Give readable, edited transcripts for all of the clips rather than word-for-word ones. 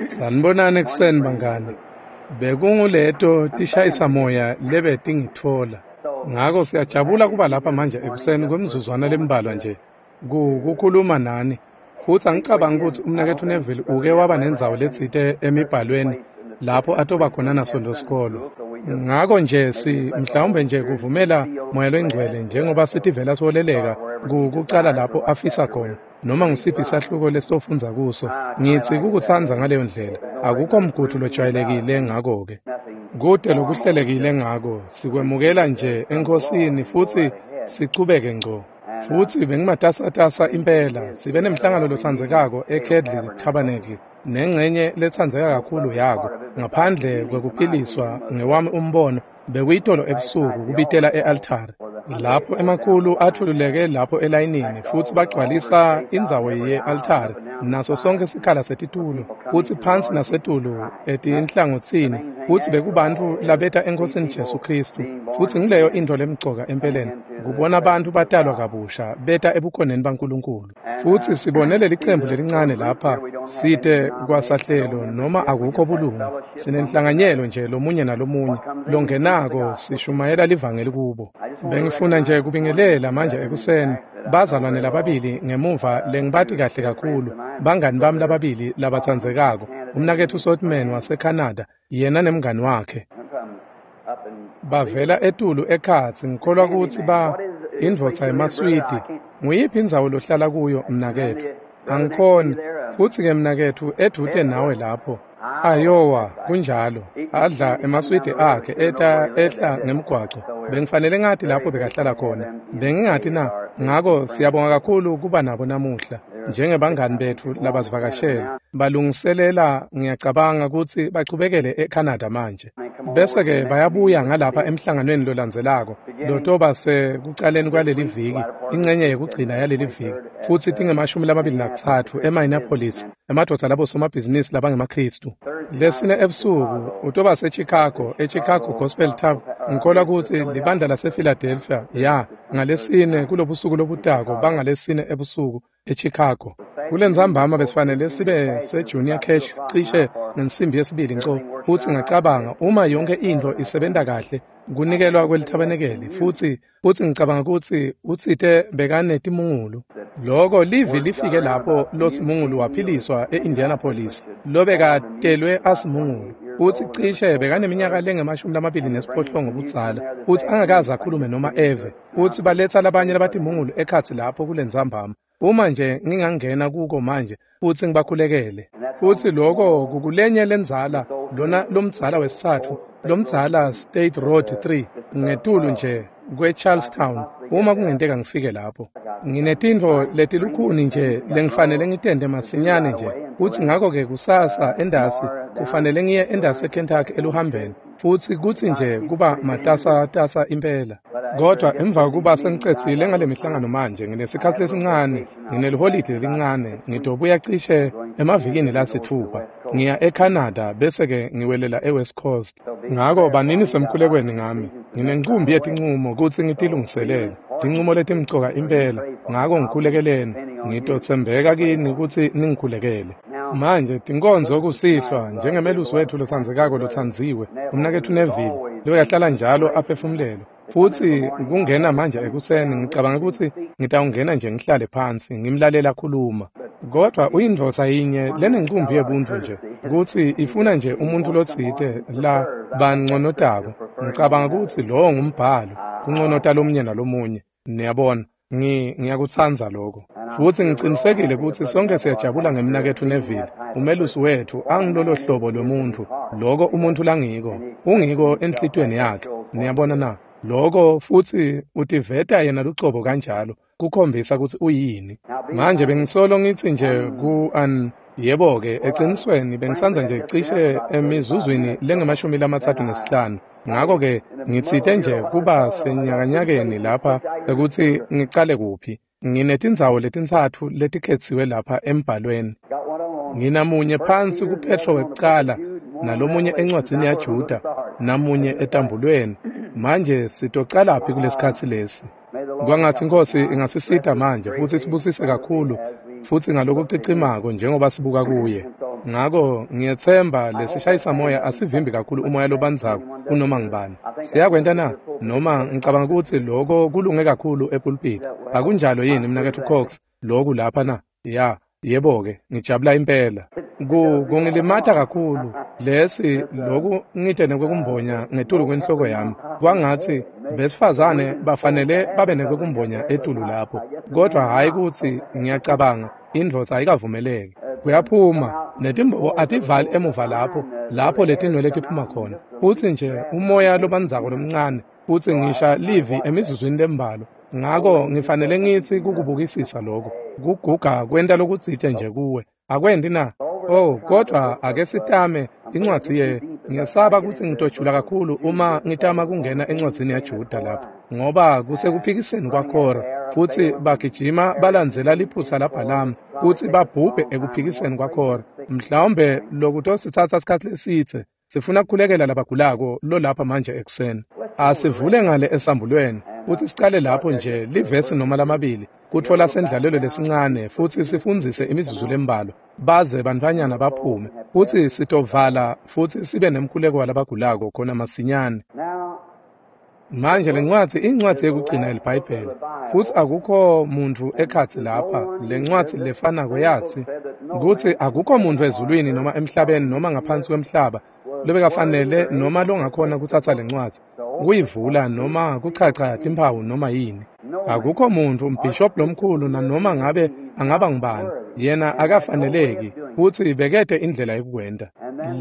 Sanibonani ekuseni bangani. Bekunguleto tishayisamoya lebetingitfola. Ngako siyajabula kuba lapha manje ekuseni kwemizuzwana lembalwa nje kukhuluma nani. Futsi angicabangi kutsi umnaketfu Neville uke waba nendzawo letsite emibhalweni lapho atoba khona naSontfo sikolo. Ngako nje mhlawumbe nje kuvumela Moya Longcwele njengoba sitivela siholeleka kucala lapho afisa khona noma ngusiphi isahluko lesitofundza kuso. Ngitsi kukutsandza ngaleyo ndlela. Akukho mgudu lojwayelekile ngako-ke. Kute lokuhlelekile ngako, sikwemukela nje eNkhosini futsi sichubeke ngco. Futsi bengimatasatasa impela, sibe nemhlangano lotsandzekako eKedli Tabernacle nengcenye letsandzeka kakhulu yako, ngaphandle kwekuphiliswa ngewami umbono bekuyitolo ebusuku kubitela e-altari. Lapho emakhulu athululeke lapho elayinini futsi bagcwalisa indzawo ye-altari naso sonke sikhala setitulo, futsi phansi nasetulu etinhlangotsini, futsi bekubantfu labeta eNkhosini Jesu Khristu. Futsi ngileyo intfo lemcoka empeleni, kubona bantfu batalwa kabusha beta ebukhoneni baNkulunkulu. Futsi sibone lelicembu lelincane lapha site kwasahlelo noma akukho bulunga, sinenhlanganyelo nje lomunye nalomunye longenako sishumayela livangeli kubo. Bengifuna nje kubingelela manje ekuseni bazalwane lababili ngemuva lengibati kahle kakhulu, bangani bami lababili labatsandzekako, umnaketfu Sotman waseCanada, yena nemngani wakhe. Bavela etulu ekhatsi, ngikholwa kutsi indvodza emaSwidi. Nguyiphi indzawo lohlala kuyo mnaketfu? Angikhoni. Futsi-ke mnaketfu edvute nawe lapho. Iowa, kunjalo. Adla emaswidi akhe eta ehla ngemgwaco. Bengifanele ngati lapho bekahlala khona. Bengingati na. Ngako siyabonga kakhulu kuba nabo namuhla njengebangani betfu labasivakashela. Balungiselela ngiyacabanga kutsi bachubekele eCanada manje. Bese-ke bayabuya ngalapha emhlanganweni lolandzelako lotoba sekucaleni kwaleli viki, ingcenye yekugcina yaleli viki, futsi tinge-23 eMinneapolis, emadvodza labosomabhizinisi labangemaKhristu. Lesine ebusuku utoba seChicago, eChicago Gospel Tavern. Ngikholwa kutsi libandla lasePhiladelphia ya ngalesine kulobusuku lobutako bangalesine ebusuku eChicago. Kulentsambama besifanele sibe seJunior Cash cishe ngensimbi yesibili nco, futsi ngacabanga uma yonke intfo isebenta kahle kunikelwa kwelithabanekeli, futsi ngicabanga kutsi utsite bekanetimungulu. Loko livi lifike lapho losimungulu waphiliswa e-Indianapolis, lobekatelwe asimungulu, futsi cishe bekaneminyaka lengama-28 budzala, futsi angakaze akhulume noma eve, futsi baletsa labanye labatimungulu ekhatsi lapho kulentsambama. Uma nje ngingangena kuko manje futsi ngibakhulekele. Futsi loko kukulenye lendzala, lona lomdzala wesitsatfu, lomdzala State Road 3, ngetulu nje kweCharlestown, uma kungenteka ngifike lapho. Nginetintfo letilukhuni nje lengifanele ngitente masinyane nje, futsi ngako-ke kusasa endasi kufanele ngiye endasi eKentucky eluhambeni, futsi kutsi nje kuba matasatasa impela. Kodwa emva kuba sengicedzile ngale mihlangano manje, nginesikhatsi lesincane, ngineliholidi lelincane, ngitobuya cishe emavikini lasitfupha. Ngiya eCanada bese-ke ngiwelela eWest Coast. Ngako banini semkhulekweni ngami. Nginencumbi yetincumo kutsi ngitilungiselele, tincumo letimcoka impela. Ngako ngikhulekeleni, ngitotsembeka kini kutsi ningikhulekele. Manje tinkonzo kusihlwa njengemelusi wetfu lotsandzekako lotsandziwe, umnaketfu Neville, loyahlala njalo aphefumulelwe. Futsi kungena manje ekuseni ngicabanga kutsi ngitawungena nje ngihlale phansi ngimlalela khuluma. Kodwa uyindvodza yinye lenencumbi yebuntfu nje, kutsi ifuna nje umuntfu lotsite la banconotako. Ngicabanga kutsi lowo ngumbhalo, kunconota lomunye nalomunye. Niyabona, ngiyakutsandza lokho. Futsi ngicinisekile kutsi sonke siyajabula ngemnaketfu Neville, umelusi wetfu angilolo hlobo lwemuntfu, loko umuntfu langiko, ungiko enhlitiyweni yakhe. Niyabona na? Loko futsi utiveta yena lucobo kanjalo, kukhombisa kutsi uyini. Manje bengisolo ngitsi nje yebo-ke ecinisweni bengisandza nje cishe emizuzwini lengama-35. Ngako-ke ngitsite nje kuba senyakanyakeni lapha ekutsi ngicale kuphi. Nginetindzawo letintsatfu letikhetsiwe lapha embhalweni. Nginamunye phansi kuPetro wekucala, nalomunye encwadzini yaJuda, namunye etambulweni. Manje sitocalaphi kulesikhatsi lesi? Kwangatsi iNkhosi ingasisita manje futsi isibusise kakhulu futsi ngalokucicimako njengoba sibuka kuye. Ngako ngiyetsemba lesishayisamoya asivimbi kakhulu umoya lobandzako kunoma ngubani. Siyakwenta na? Noma ngicabanga kutsi loko kulunge kakhulu epulpiti. Akunjalo yini mnaketfu Cox? Loku lapha na? Ya, yebo-ke, ngijabula impela. Kungilimata kakhulu lesi loku ngite nekwekumbonya ngetulu kwenhloko yami. Kwangatsi besifazane bafanele babe nekwekumbonya etulu lapho. Kodwa hhayi kutsi ngiyacabanga indvodza ayikavumeleki. Kuyaphuma netimbobo ativali emuva lapho letinwele tiphuma khona. Futsi nje umoya lobandzako lomncane futsi ngisha livi emizuzwini lembalwa. Ngako ngifanele ngitsi kukubukisisa lokho. Kuguga kwenta lokutsite nje kuwe. Akwendi na? Oh, kodwa ake sitame incwadzi ye. Ngiyesaba kutsi ngitojula kakhulu uma ngitama kungena encwadzini yaJuda lapha, ngoba kusekuphikiseni kwaKhora, futsi bagijima balandzela liphutsa laBhalamu kutsi babhubhe ekuphikiseni kwaKhora. Mhlawumbe lokutositsatsa sikhatsi lesitse. Sifuna kukhulekela labagulako lolapha manje ekuseni. Asivule ngale esambulweni futsi sicale lapho nje livesi noma lamabili kutfola sendlalelo lesincane futsi sifundzise imizuzu lembalwa baze bantfwanyana baphume futsi sitovala futsi sibe nemkhuleko walabagulako khona masinyane. Manje lencwadzi incwadzi yekugcina eliBhayibheli futsi akukho muntfu ekhatsi lapha. Lencwadzi lefanako yatsi kutsi akukho muntfu ezulwini noma emhlabeni noma ngaphansi kwemhlaba lobekafanele noma longakhona kutsatsa lencwadzi kuyivula noma kuchacha timphawu noma yini. Akukho muntfu, umbhishobhi lomkhulu nanoma ngabe angaba ngubani, yena akafaneleki futsi bekete indlela yekukwenta.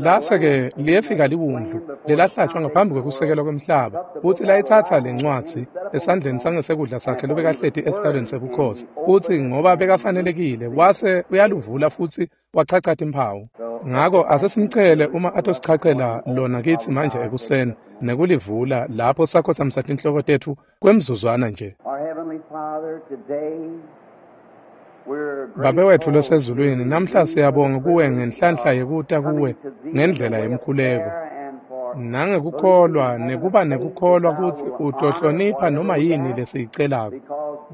Lase-ke liyefika liwundlu lelahlatshwa ngaphambi kwekusekelwa kwemhlaba futsi layitsatsa lencwadzi esandleni sangesekudla sakhe lobekahleti esihlalweni sebukhosi, futsi ngoba bekafanelekile wase uyaluvula futsi wachacha timphawu. Ngako asesimcele uma atosichachela lona kitsi manje ekuseni nekulivula lapho sakhotsamisa tinhloko tetfu kwemzuzwana nje. Babe wetfu losezulwini, namhla siyabonga kuwe ngenhlanhla yekuta kuwe ngendlela yemkhuleko nangekukholwa nekuba nekukholwa kutsi utohlonipha noma yini lesiyicelako,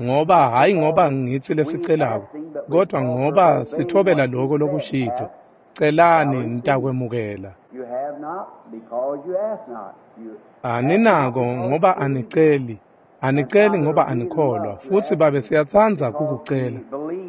ngoba hhayi ngoba ngitsi lesicelako, kodwa ngoba sithobela loko lokushito. Celani nitakwemukela. Aninako ngoba aniceli. Aniceli ngoba anikholwa. Futsi Babe siyatsandza kukucela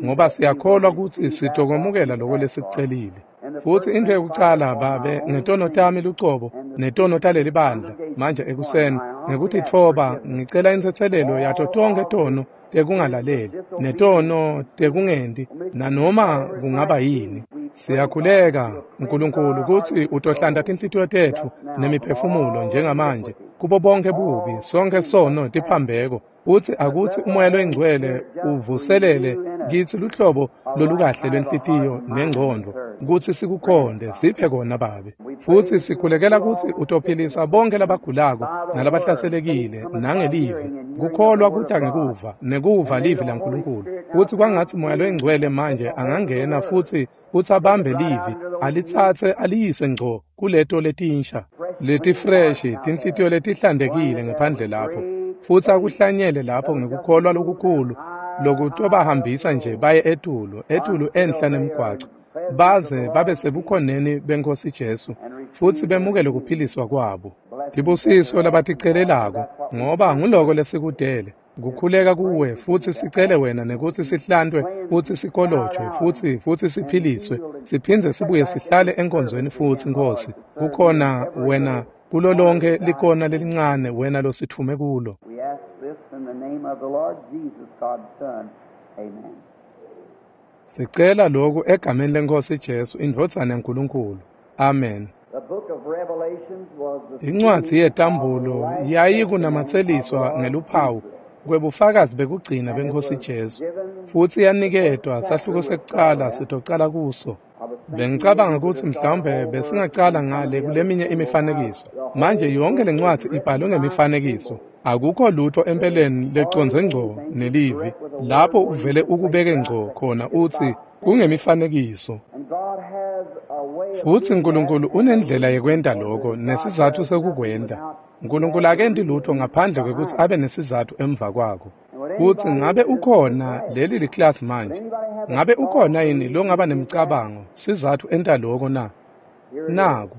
ngoba siyakholwa kutsi sitokwemukela loko lesikucelile. Futsi intfo yekucala Babe, ngetono tami lucobo netono taleli bandla manje ekuseni ngekutitfoba ngicela intsetselelo yato tonkhe tono tekungalaleli netono tekungendi nanoma kungaba yini. Siyakhuleka Nkulunkulu kutsi utohlanta tinhlitiyo tetfu nemiphefumulo njengamanje kubo bonke bubi, sonke sono tiphambeko, futsi akutsi umoya loyingcwele uvuselele kitsi luhlobo lolukahle lwenhlitiyo nengcondvo kutsi sikukhonde. Siphe kona Babe. Futsi sikhulekela kutsi utophilisa bonke labagulako nalabahlaselekile nangelivi. Kukholwa kuta ngekuva nekuva livi laNkulunkulu. Futsi kwangatsi moya loyingcwele manje angangena futsi abambe livi alitsatse aliyise ngco kuleto letinsha letifreshi, tinhlitiyo letihlantekile ngephandle lapho, futsi akuhlanyele lapho ngekukholwa lokukhulu lokutobahambisa nje baye etulu etulu enhla nemgwaco baze babe sebukhoneni beNkhosi Jesu futsi bemukele kuphiliswa kwabo. Tibusiso labaticelelako, ngoba nguloko lesikudele kukhuleka kuwe futsi sicele wena nekutsi sihlantwe futsi sikolojwe futsi siphiliswe siphindze sibuye sihlale enkonzweni futsi Nkhosi. Kukhona wena kulo lonke likona lelincane wena lositfume kulo. Sicela lokhu egameni leNkhosi Jesu, indvodzana yaNkulunkulu. Amen. Incwadzi yetambulo yayikunamatseliswa ngeluphawu kwebufakazi bekugcina beNkhosi Jesu, futsi yaniketwa sahluko sekucala sitocala kuso. Bengicabanga kutsi mhlawumbe besingacala ngale kuleminye imifanekiso. Manje yonke lencwadzi ibhalwe ngemifanekiso. Akukho lutho empeleni lecondze ngco nelivi. Lapho uvele ukubeke ngco khona utsi kungemifanekiso. Futsi Nkulunkulu unendlela yekwenta loko nesizatfu sekukwenta. Nkulunkulu akenti lutho ngaphandle kwekutsi abe nesizatfu emva kwako. Kutsi ngabe ukhona leli liklasi manje. Ngabe ukhona yini longaba nemicabango sizathu enta lokho na? Naku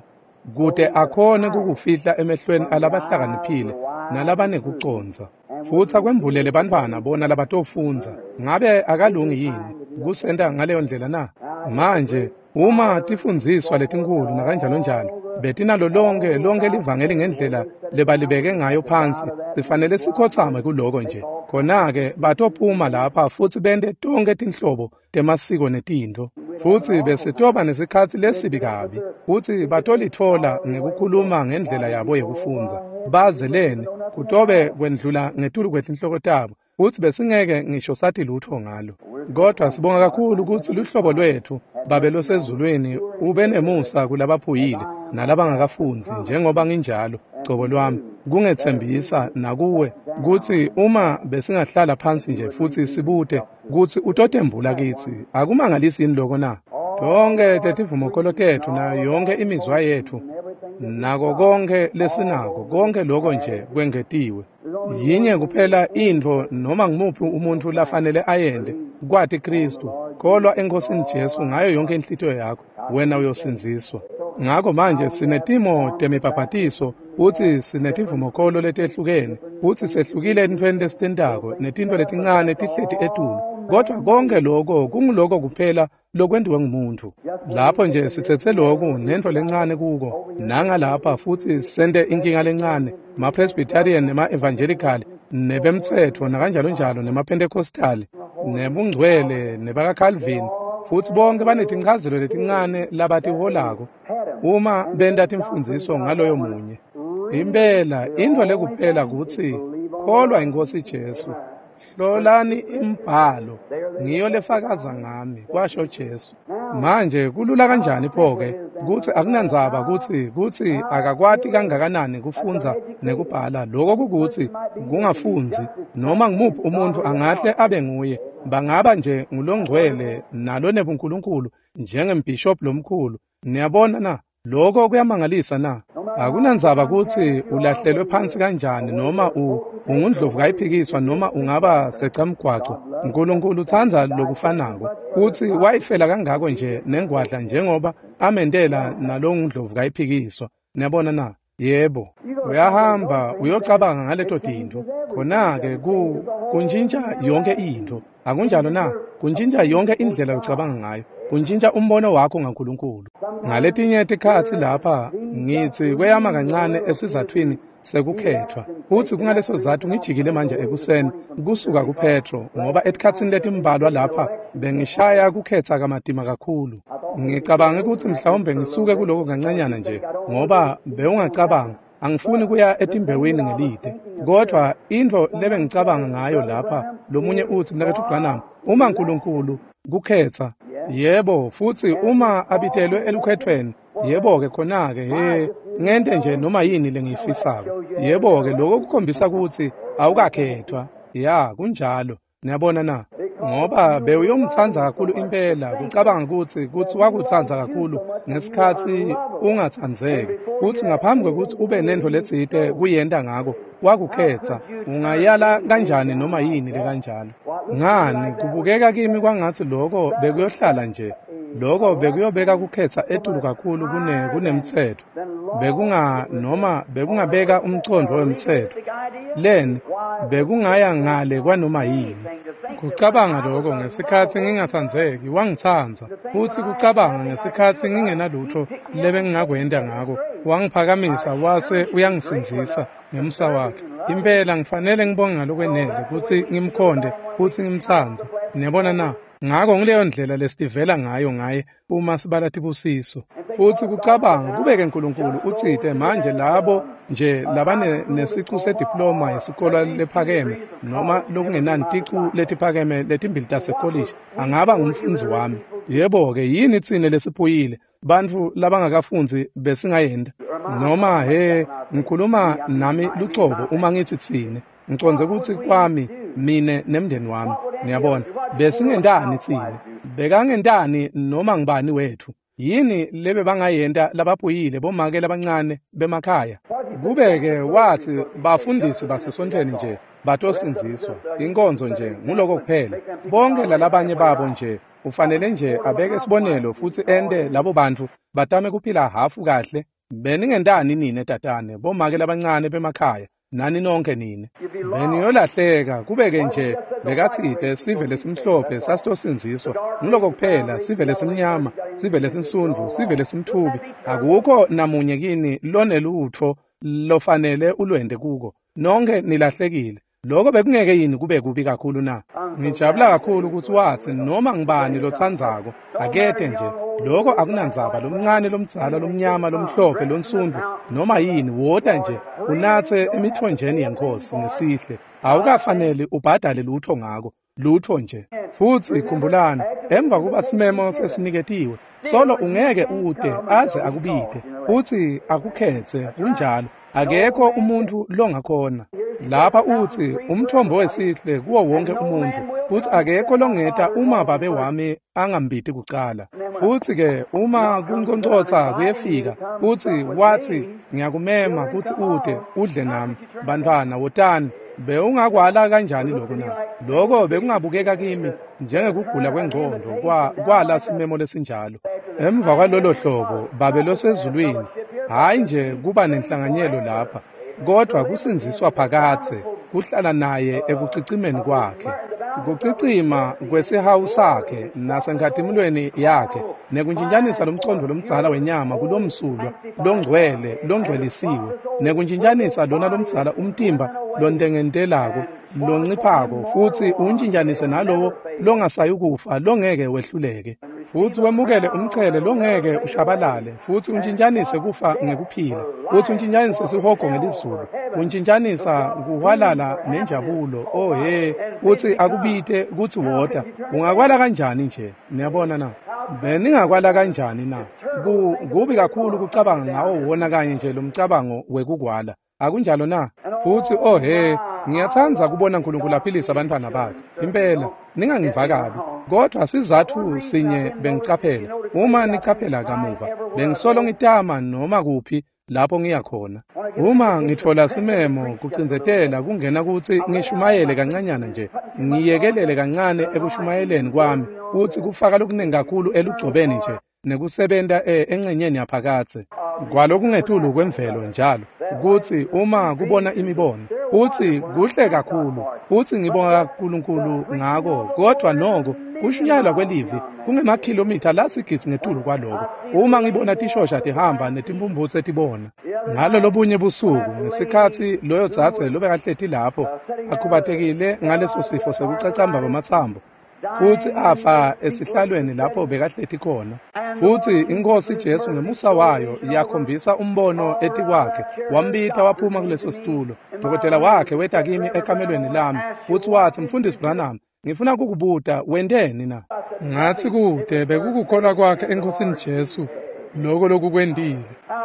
kute akhone kukufihla emehlweni alabahlakaniphile nalabanekucondza. Futsi akwembulele bantfwana bona labatofundza. Ngabe akalungi yini kusenta ngaleyo ndlela na? Manje uma tifundziswa letinkhulu nakanjalo njalo betinalo lonke livangeli ngendlela lebalibeke ngayo phansi, sifanele sikhotsame kuloko nje. Khona-ke batophuma lapha futsi bente tonkhe tinhlobo temasiko netintfo, futsi besitoba nesikhatsi lesibi kabi, futsi batolitfola ngekukhuluma ngendlela yabo yekufundza. Bazeleni kutobe kwendlula ngetulu kwetinhloko tabo, futsi besingeke ngisho sathi lutho ngalo. Kodwa sibonga kakhulu kutsi luhlobo lwetfu Babe losezulwini ube nemusa kulabaphuyile nalabangakafundzi njengoba nginjalo cobo lwami, kungetsembisa nakuwe kutsi uma besingahlala phansi nje futsi sibute kutsi utotembula kitsi. Akumangalisi yini lokho na? Tonke tetivumokolo tetfu nayo yonke imizwa yetfu nako konke lesinako, konke lokho nje kwengetiwe. Yinye kuphela intfo noma ngumuphi umuntfu lafanele ayente, kwati Kristu. Kholwa eNkosini Jesu ngayo yonke inhlitiyo yakho, wena uyosindziswa. Ngako manje sinetimo temibhabhatiso, futsi sinetivumokolo letehlukene, futsi sehlukile entfweni lesitentako netintfo letincane tihleti etulu. Kodwa konke lokho kunguloko kuphela lokwentiwe ngumuntu. Lapho nje sitsetse loku nentfo lencane kuko nangalapha, futsi sente inkinga lencane, ma-Presbyterian nema-Evangelical nebemtsetfo nakanjalo njalo, nema-Pentecostal nebungcwele nebakaCalvin, futsi bonke banetinchazelo letincane labatiholako uma benta timfundziso ngaloyo munye. Impela intfo lekuphela kutsi kholwa iNkhosi Jesu. Hlolani imbhalo, ngiyo lefakaza ngami, kwasho Jesu. Manje kulula kanjani pho-ke kutsi akunandzaba kutsi akakwati kangakanani kufundza nekubhala. Lokho kukutsi kungafundzi noma ngumuphi umuntfu angahle abe nguye, bangaba nje ngulongcwele nalonebunkulunkulu njengembhishobhi lomkhulu. Niyabona na? Lokho kuyamangalisa na? Akunandzaba kutsi ulahlelwe phansi kanjani noma ungundlovu kayiphikiswa noma ungaba secamgwaco, Nkulunkulu utsandza lokufanako, kutsi wayifela kangako nje nengwadla njengoba amentela nalongundlovu kayiphikiswa. Niyabona na? Yebo. Uyahamba uyocabanga ngaleto tintfo. Khona-ke kuntjintja yonke intfo. Akunjalo na? Kuntjintja yonke indlela locabanga ngayo. Kuntjintja umbono wakho ngaNkulunkulu. Ngaletinye tikhatsi lapha ngitsi kweyama kancane esizathwini sekukhethwa, futsi kungaleso sizatfu ngijikile manje ekuseni kusuka kuPetro, ngoba etikhatsini letimbalwa lapha bengishaya kukhetsa kamatima kakhulu. Ngicabange kutsi mhlawumbe ngisuke kuloko kancanyana nje, ngoba bewungacabanga angifuni kuya etimbewini ngelide. Kodwa intfo lebengicabanga ngayo lapha, lomunye utsi, Mnaketfu Branham, uma Nkulunkulu kukhetsa, yebo, futsi uma abitelwe elukhethweni, yebo-ke khona-ke, he, ngente nje noma yini lengiyifisako. Yebo-ke, lokho kukhombisa kutsi awukakhethwa. Ya, kunjalo. Niyabona na? Ngoba bewuyomtsandza kakhulu impela, kucabanga kutsi wakutsandza kakhulu ngesikhatsi ungatsandzeki, kutsi ngaphambi kwekutsi ube nentfo letsite kuyenta ngako, wakukhetsa. Ungayala kanjani noma yini lekanjalo? Ngani, kubukeka kimi kwangatsi lokho bekuyohlala nje. Lokho bekuyobeka kukhetsa etulu kakhulu kunemtsetfo. Bekungabeka umcondvo wemtsetfo. Leni bekungaya ngale kwanoma yini. Kucabanga lokho ngesikhatsi ngingatsandzeki, wangitsandza, futsi kucabanga ngesikhatsi ngingenalutho lebengingakwenta ngako, wangiphakamisa wase uyangisindzisa ngemusa wakhe. Impela ngifanele ngibonge ngalokwenele kutsi ngimkhonde futsi ngimtsandze. Niyabona na? Ngako ngileyo ndlela lesitivela ngayo ngaye uma sibala tibusiso. Futsi kucabanga kubeke Nkulunkulu utsite manje labo nje labane nesicu sediploma yesikolo lephakeme noma lokungenani ticu letiphakeme letimbili tasekolishi angaba ngumfundzi wami. Yebo-ke, yini tsine lesiphuyile bantfu labangakafundzi besingayenta? Noma he, ngikhuluma nami lucobo uma ngitsi tsine, ngicondze kutsi kwami mine nemndeni wami. Niyabona, besingentani tsine? Bekangentani noma ngibani wetfu? Yini lebe bangayenta labaphuyile bomake labancane bemakhaya? Kubeke watsi bafundisi basesontfweni nje batosindziswa. Inkonzo nje nguloko kuphela. Bonke lalabanye babo nje ufanele nje abeke sibonelo futsi ente labo bantfu batame kuphila hafu kahle. Beningentani nine tatane, bomake labancane bemakhaya, nani nonke nine. Beniyolahleka kubeke nje bekatsite sive lesimhlophe sasitosindziswa. Nguloko kuphela, sive lesimnyama, sive lesinsundvu, sive lesimthubi. Akukho namunye kini lonelutfo lofanele ulwente kuko. Nonke nilahlekile. Lokho bekungeke yini kube kubi kakhulu na? Ngijabula kakhulu ukuthi watsi noma ngibani lotsandzako akete nje. Lokho akunandzaba, lomncane, lomdzala, lomnyama, lomhlophe, lonsundvu, noma yini, wota nje unatse emithonjeni yeNkhosi ngesihle. Awukafaneli ubhadale lutho ngako, lutho nje. Futsi khumbulani, emva kuba simemo sesiniketiwe, solo ungeke ute aze akubite futsi akukhetse. Kunjalo, akekho umuntfu longakhona. Lapha utsi umthombo wesihle kuwo wonke umuntfu, futsi akekho longeta uma babe wami angambiti kucala. Futsi-ke uma kunconcotsa kuyefika, futsi watsi ngiyakumema kutsi ute udle nami, bantfwana wotani. Bewungakwala kanjani lokho na? Lokho bekungabukeka kimi njengekugula kwengqondo kwala simemo lesinjalo. Emva kwalolo hlobo, Babe losezulwini, hhayi nje kuba nenhlanganyelo lapha, kodwa kusindziswa phakadze, kuhlala naye ekucicimeni kwakhe. Kucicima kwesihawu sakhe nasenkhatimulweni yakhe, nekuntjintjanisa lomcondvo lomdzala wenyama kulomsulwa longcwele longcwelisiwe, nekuntjintjanisa lona lomdzala umtimba lontengentelako lonciphako, futsi untjintjanise nalowo longasayukufa longeke wehluleke, futsi wemukele umchele longeke ushabalale, futsi untjintjanise kufa ngekuphila, futsi untjintjanise sihogo ngelizulu, untjintjanisa kuhwalala nenjabulo. Oh he, futsi akubite kutsi wota. Ungakwala kanjani nje? Niyabona na? Beningakwala kanjani na? Kubi kakhulu kucabanga ngawo wona kanye nje lomcabango wekukwala. Akunjalo na? Futsi oh he, ngiyatsandza kubona uNkulunkulu aphilisa abantwana bakhe. Impela, ningangiva kabi. Kodwa sizatfu sinye bengicaphela. Uma nicaphela kamuva, bengisolo ngitama noma kuphi lapho ngiya khona. Uma ngitfola simemo kucindzetela kungena kutsi ngishumayele kancanyana nje, ngiyekelele kancane ekushumayeleni kwami, kutsi kufaka lokuningi kakhulu elugcobeni nje nekusebenta engcenyeni yaphakadze kwalokungetulu kwemvelo njalo, kutsi uma kubona imibono, futsi kuhle kakhulu, futsi ngibonga kaNkulunkulu ngako, kodwa noko kushunyayelwa kwelivi kungemakhilomitha lasigisi ngetulu kwaloko. Uma ngibona tishosha tihamba netimphumphutse tibona. Ngalo lobunye busuku ngesikhatsi loyo dzadze lobekahleti lapho akhubatekile ngaleso sifo sekucacamba kwematsambo, futsi afa esihlalweni lapho bekahleti khona, futsi iNkhosi Jesu ngemusa wayo yakhombisa umbono etikwakhe, wambita waphuma kuleso situlo. Dokotela wakhe weta kimi ekamelweni lami futsi watsi, Mfundisi Branham, ngifuna kukubuta, wenteni na? Ngatsi kude bekukukholwa kwakhe eNkhosini Jesu loko lokukwentile.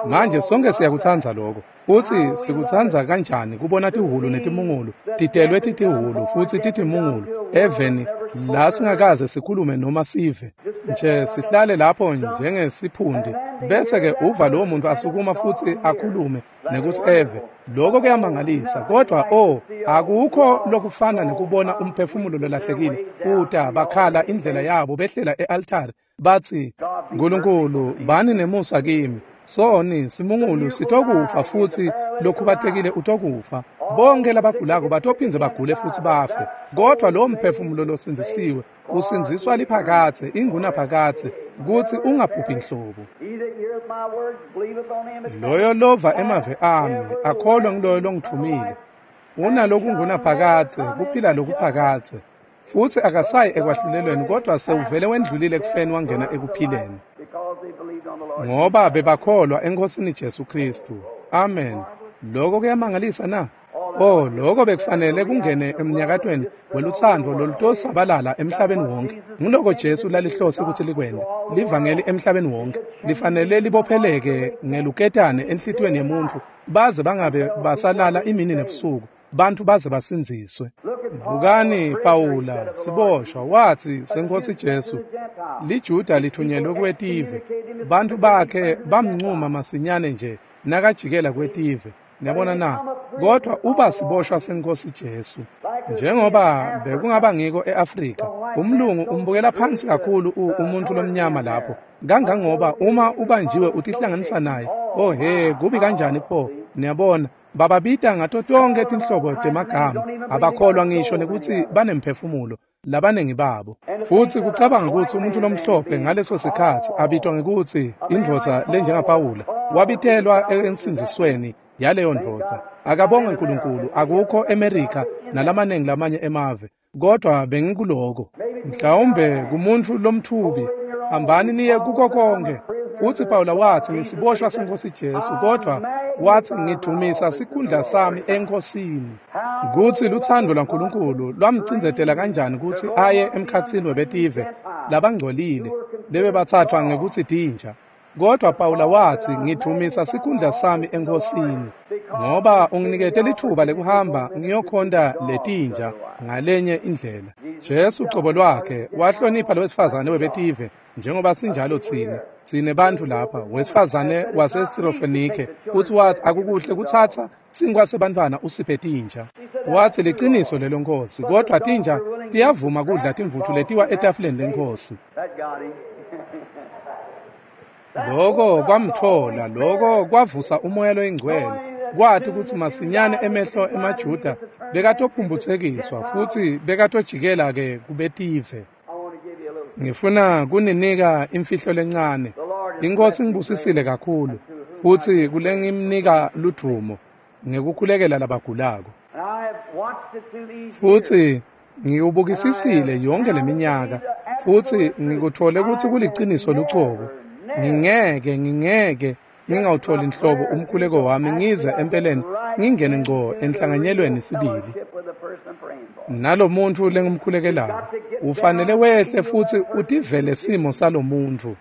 Manje sonke siyakutsandza lokho. Futsi sikutsandza kanjani kubona tihhulu netimungulu titelwe titihhulu futsi titimungulu eveni la singakaze sikhulume noma sive nje, sihlale lapho njengesiphundi, bese-ke uva lowo muntu asukuma futsi akhulume nekutsi eve. Lokho kuyamangalisa, kodwa oh, akukho lokufana nekubona umphefumulo lolahlekile uta bakhala indlela yabo behlela e-altari batsi, Nkulunkulu bani nemusa kimi, soni simungulu sitokufa futsi lokhubatekile utokufa, bonke labagulako batophindze bagule futsi bafe, kodwa lowo mphefumulo losindzisiwe usindziswa liphakadze ingunaphakadze kutsi ungabhubhi nhlobo. Loyo lova emave ami akholwe nguloyo longithumile unalokungunaphakadze kuphila lokuphakadze, futsi akasayi ekwahlulelweni, kodwa sewuvele wendlulile ekufeni wangena ekuphileni, ngoba bebakholwa eNkhosini Jesu Khristu. Amen. Lokho kuyamangalisa na? Oh, lokho bekufanele kungene emnyakatweni welutsandvo lolutosabalala emhlabeni wonke. Nguloko Jesu lalihlose kutsi likwente, livangeli emhlabeni wonke. Lifanele libopheleke ngeluketane enhlitiyweni yemuntfu, baze bangabe basalala imini nebusuku, bantfu baze basindziswe. Bukani Pawula siboshwa watsi seNkhosi Jesu, liJuda lithunyelwe kwetive, bantfu bakhe bamncuma masinyane nje nakajikela kwetive. Niyabona na? Kodwa uba siboshwa senkosi Jesu. Njengoba bekungaba ngiko eAfrika, umlungu umbukela phansi kakhulu umuntu lomnyama lapho. Kangangoba uma ubanjiwe utihlanganisa naye, oh he, kubi kanjani pho? Niyabona, bababita ngato tonke tinhlobo temagama, abakholwa ngisho nekuthi banemphefumulo labanengi babo. Futhi kucabanga ukuthi umuntu lomhlophe ngaleso sikhathi abitwa ngekuthi indvodza lenjengaPawula, wabitelwa ensindzisweni yaleyo ndvodza. Akabonge uNkulunkulu, akukho eMerika nalamanengi lamanye emave, kodwa bengikuloko. Mhlawumbe kumuntu lomthubi, hambani niye kuko konke. Futhi Pawula wathi ngisiboshwa senkosi Jesu, kodwa wathi ngidumisa sikhundla sami enkosini. Kuthi luthando lwaNkulunkulu lwamcindzetela kanjani ukuthi aye emkhatsini webetive labangcolile lebebathathwa ngekuthi tinja. Kodwa Pawula wathi ngidumisa sikhundla sami enkosini, ngoba unginikete lithuba lekuhamba ngiyokhonta letinja ngalenye indlela. Jesu ucobo lwakhe wahlonipha lowesifazane webetive njengoba sinjalo tsine. Tsine bantfu lapha, wesifazane waseSirofenike, futhi wathi akukuhle kuthatha sinkwa sebantfwana usiphe tinja. Wathi liciniso lelo nkosi, kodwa tinja tiyavuma kudla timvutfu letiwa etafuleni lenkosi. Loko kwamthola, loko kwavusa umoya loyingcwele. Kwathi ukuthi masinyane emehlo emaJuda bekatophumphutsekiswa futhi bekatojikela ke kubetive. Ngifuna kuninika imfihlo lencane. Inkosi ngibusisile kakhulu futhi kulengimnika ludvumo ngekukhulekela labagulako. Futhi ngiyubukisisile yonke leminyaka futhi ngikuthole ukuthi kuliciniso lucobo. Ngingeke ngingawutholi inhlobo umkhuleko wami ngize empeleni ngingene ngco enhlanganyelweni sibili nalomuntu lengimkhulekelayo. Ufanele wehle futhi utivele simo salomuntu.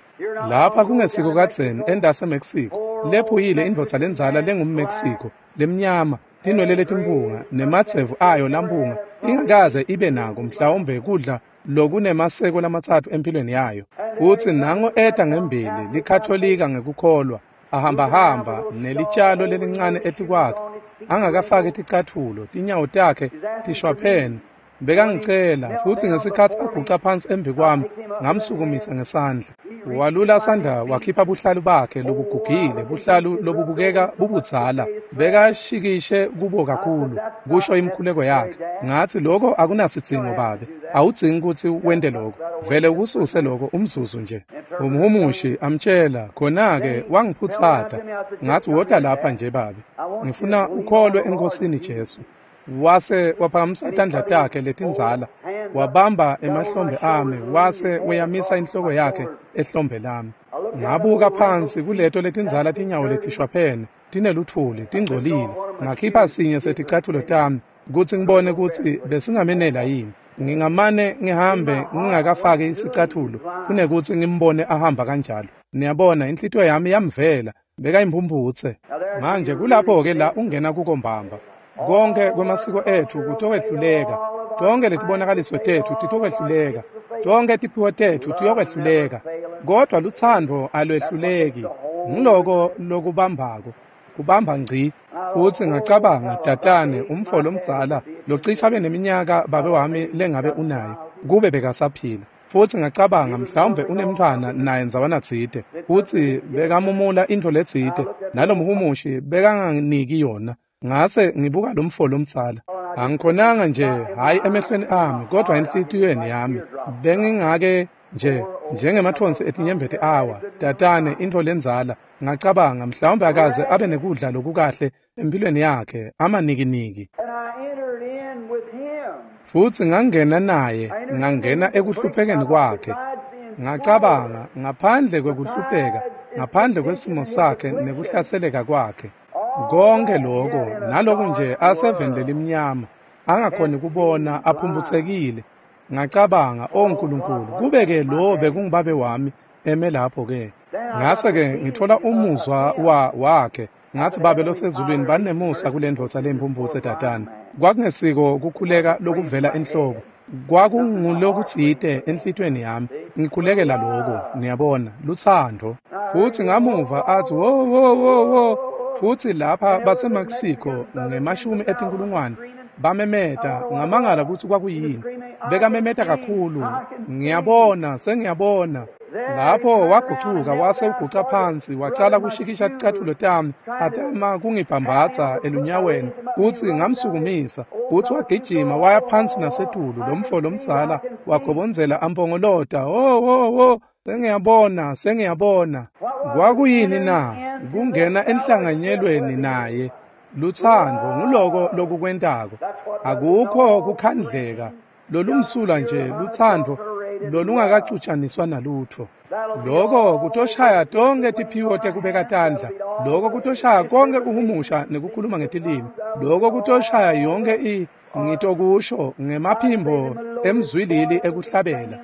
Lapha kungesiko kadzeni endase Mexico, lephuyile indvodza lenzala lengumMexico lemnyama, tinwele letimpunga nematsevu ayo lampunga, ingakaze ibe nako mhlawumbe kudla lokunemaseko lamatsatfu empilweni yayo. Futhi nango eta ngembili likatholika ngekukholwa, ahambahamba nelitshalo lelincane etikwakhe, angakafaki ticathulo, tinyawo takhe tishwaphene. Bekangicela futhi ngesikhathi aguca phansi embi kwami ngamsukumisa ngesandla. Walula sandla wakhipha buhlalu bakhe lobugugile, buhlalu lobubukeka bubudzala, bekashikishe kubo kakhulu, kusho imkhuleko yakhe. Ngathi lokho akunasidzingo babe, awudzingi ukuthi wente lokho, vele ukususe lokho umzuzu nje. Umhumushi amtshela, khona-ke wangiphutsata. Ngathi wota lapha nje babe, ngifuna ukholwe enkosini Jesu. Wase waphakamisa tandla takhe letindzala, wabamba emahlombe ami, wase uyamisa inhloko yakhe ehlombe lami. Ngabuka phansi kuleto letindzala tinyawo letishwaphene, tineluthuli, tingcolile. Ngakhipha sinye seticathulo tami kutsi ngibone kutsi besingamenela yini. Ngingamane ngihambe ngingakafaki sicathulo kunekuthi ngimbone ahamba kanjalo. Niyabona, inhlitiyo yami yamvela, bekayimphumphutse. Manje kulapho-ke la ungena kuko mbamba. Konke kwemasiko ethu kutokwehluleka, tonke letibonakaliso tethu titokwehluleka, tonke tiphiwo tethu tiyokwehluleka, kodwa luthando alwehluleki. Ngiloko lokubambako, kubamba ngci. Futhi ngacabanga, tatane umfo lomdzala locisha abe neminyaka babe wami lengabe unayo, kube bekasaphila. Futhi ngacabanga mhlawumbe unemntfwana naye ndzawana tsite, futhi bekamumula intfo letsite, nalomhumushi bekanganiki yona. Ngase ngibuka lo mfo lomdzala. Angikhonanga nje, hhayi emehlweni ami, kodwa enhlitiyweni yami. Bengingake nje njengemathonsi etinyembeti awa, tatane intfo lenzala. Ngacabanga mhlawumbe akaze abe nekudla lokukahle empilweni yakhe, amanikiniki. Futhi ngangena naye, ngangena ekuhluphekeni kwakhe. Ngacabanga ngaphandle kwekuhlupheka, ngaphandle kwesimo sakhe nekuhlaseleka kwakhe. Konke lokho naloku nje aseveni lelimnyama, angakhoni kubona, aphumphutsekile. Ngacabanga, o Nkulunkulu, kube-ke lo bekungubabe wami eme lapho-ke. Ngase-ke ngithola umuzwa wakhe. Ngathi, babe losezulwini, banemusa kule ndvodza leyimphumphutse tatane. Kwakungesiko kukhuleka lokuvela enhloko, kwakungulokutsite enhlitiyweni yami. Ngikhulekela lokho, niyabona, luthando. Futhi ngamuva athi wo wo wo wo. Futsi lapha baseMexico ngemashumi etinkulungwane bamemeta, ngamangala kutsi kwakuyini. Bekamemeta kakhulu, ngiyabona, sengiyabona. Lapho wagucuka wase uguca phansi, wacala kushikisha ticatfulo tami, atama kungibhambatsa elunyaweni, futsi ngamsukumisa, futsi wagijima waya phansi nasetulu. Lomfo lomdzala wagobondzela ampongolota, "Oh, oh, oh, sengiyabona, sengiyabona." Kwakuyini na? Kungena enhlanganyelweni naye. Lutsandvo nguloko lokukwentako. Akukho kukhandleka, lolumsulwa nje lutsandvo lolungakacutshaniswa nalutho. Loko kutoshaya tonkhe tiphiwo tekubeka tandla. Loko kutoshaya konke kuhumusha nekukhuluma ngetilimi. Loko kutoshaya yonke ngitokusho ngemaphimbo emzwilili ekuhlabela.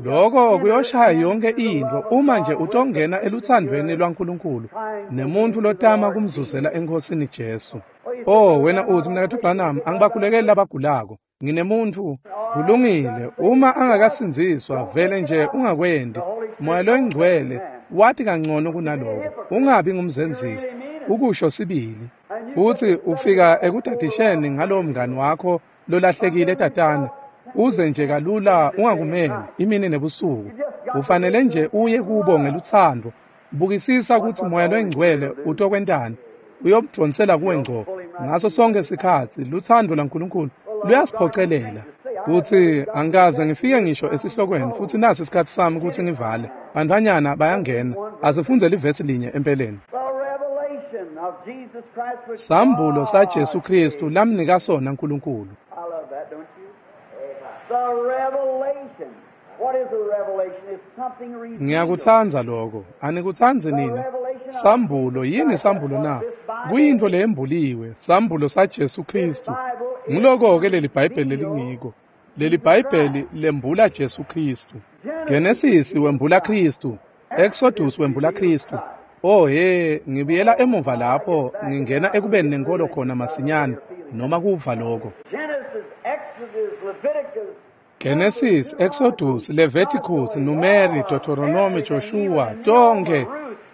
Loko kuyoshaya yonke intfo uma nje utongena elutsandvweni lwaNkulunkulu nemuntfu lotama kumzuzela eNkhosini Jesu. Oh, wena utsi, Mnaketfu Branham, angibakhulekeli labagulako. Nginemuntfu. Kulungile, uma angakasindziswa vele nje ungakwendi. Moya loyingcwele wati kangcono kunaloko. Ungabi ngumzenzisi, ukusho sibili. Futsi ufika ekudadisheni ngalowo mngani wakho lolahlekile tatana. Uze nje kalula ungakumeli imini nebusuku. Ufanele nje uye kubo ngelutsandvo. Bukisisa kutsi Moya loyingcwele utokwentani. Uyomdvonsela kuwe ngco ngaso sonke sikhatsi. Lutsandvo lwaNkulunkulu luyasiphocelela. Utsi, angikaze ngifike ngisho esihlokweni, futsi nasi isikhatsi sami kutsi ngivale. Bantfwanyana bayangena. Asifunze livesi linye empeleni. Sambulo saJesu Kristu lamnika sona Nkulunkulu. Ngiyakutsandza lokho. Anikutsandzi nina? Sambulo, yini sambulo na? Kuyintfo leyembuliwe, sambulo saJesu Kristu. Nguloko-ke leli Bhayibheli lelingiko. Leli Bhayibheli lembula Jesu Kristu. Genesis wembula Kristu. Exodus wembula Kristu. Oh he, ngibuyela emuva lapho ngingena ekubeni nenkolo khona masinyane noma kuva lokho. Genesis, Exodus, Leviticus, Numeri, Deuteronomy, Joshua, tonke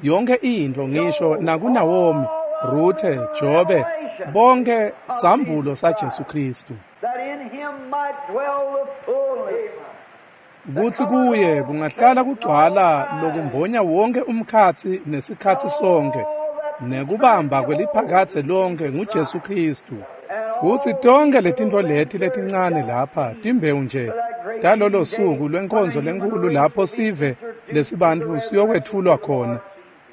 yonke intfo ngisho nakuNaomi, Ruthe, Jobe, bonke sambulo saJesu Kristu. Kutsi kuye kungahlala kugcwala lokumbonya wonke umkhatsi nesikhatsi sonke, nekubamba kweliphakadze lonke nguJesu Kristu. Futsi tonke letintfo leti letincane lapha timbewu nje talolo suku lwenkonzo lenkulu lapho sive lesibantfu siyokwetfulwa khona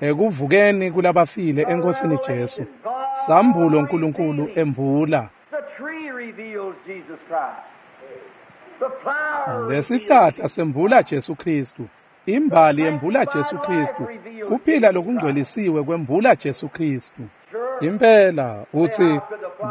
ekuvukeni kulabafile eNkhosini Jesu. Sambulo Nkulunkulu embula. Lesihlahla sembula Jesu Kristu. Imbali yembula Jesu Kristu. Kuphila lokungcwelisiwe kwembula Jesu Kristu. Impela utsi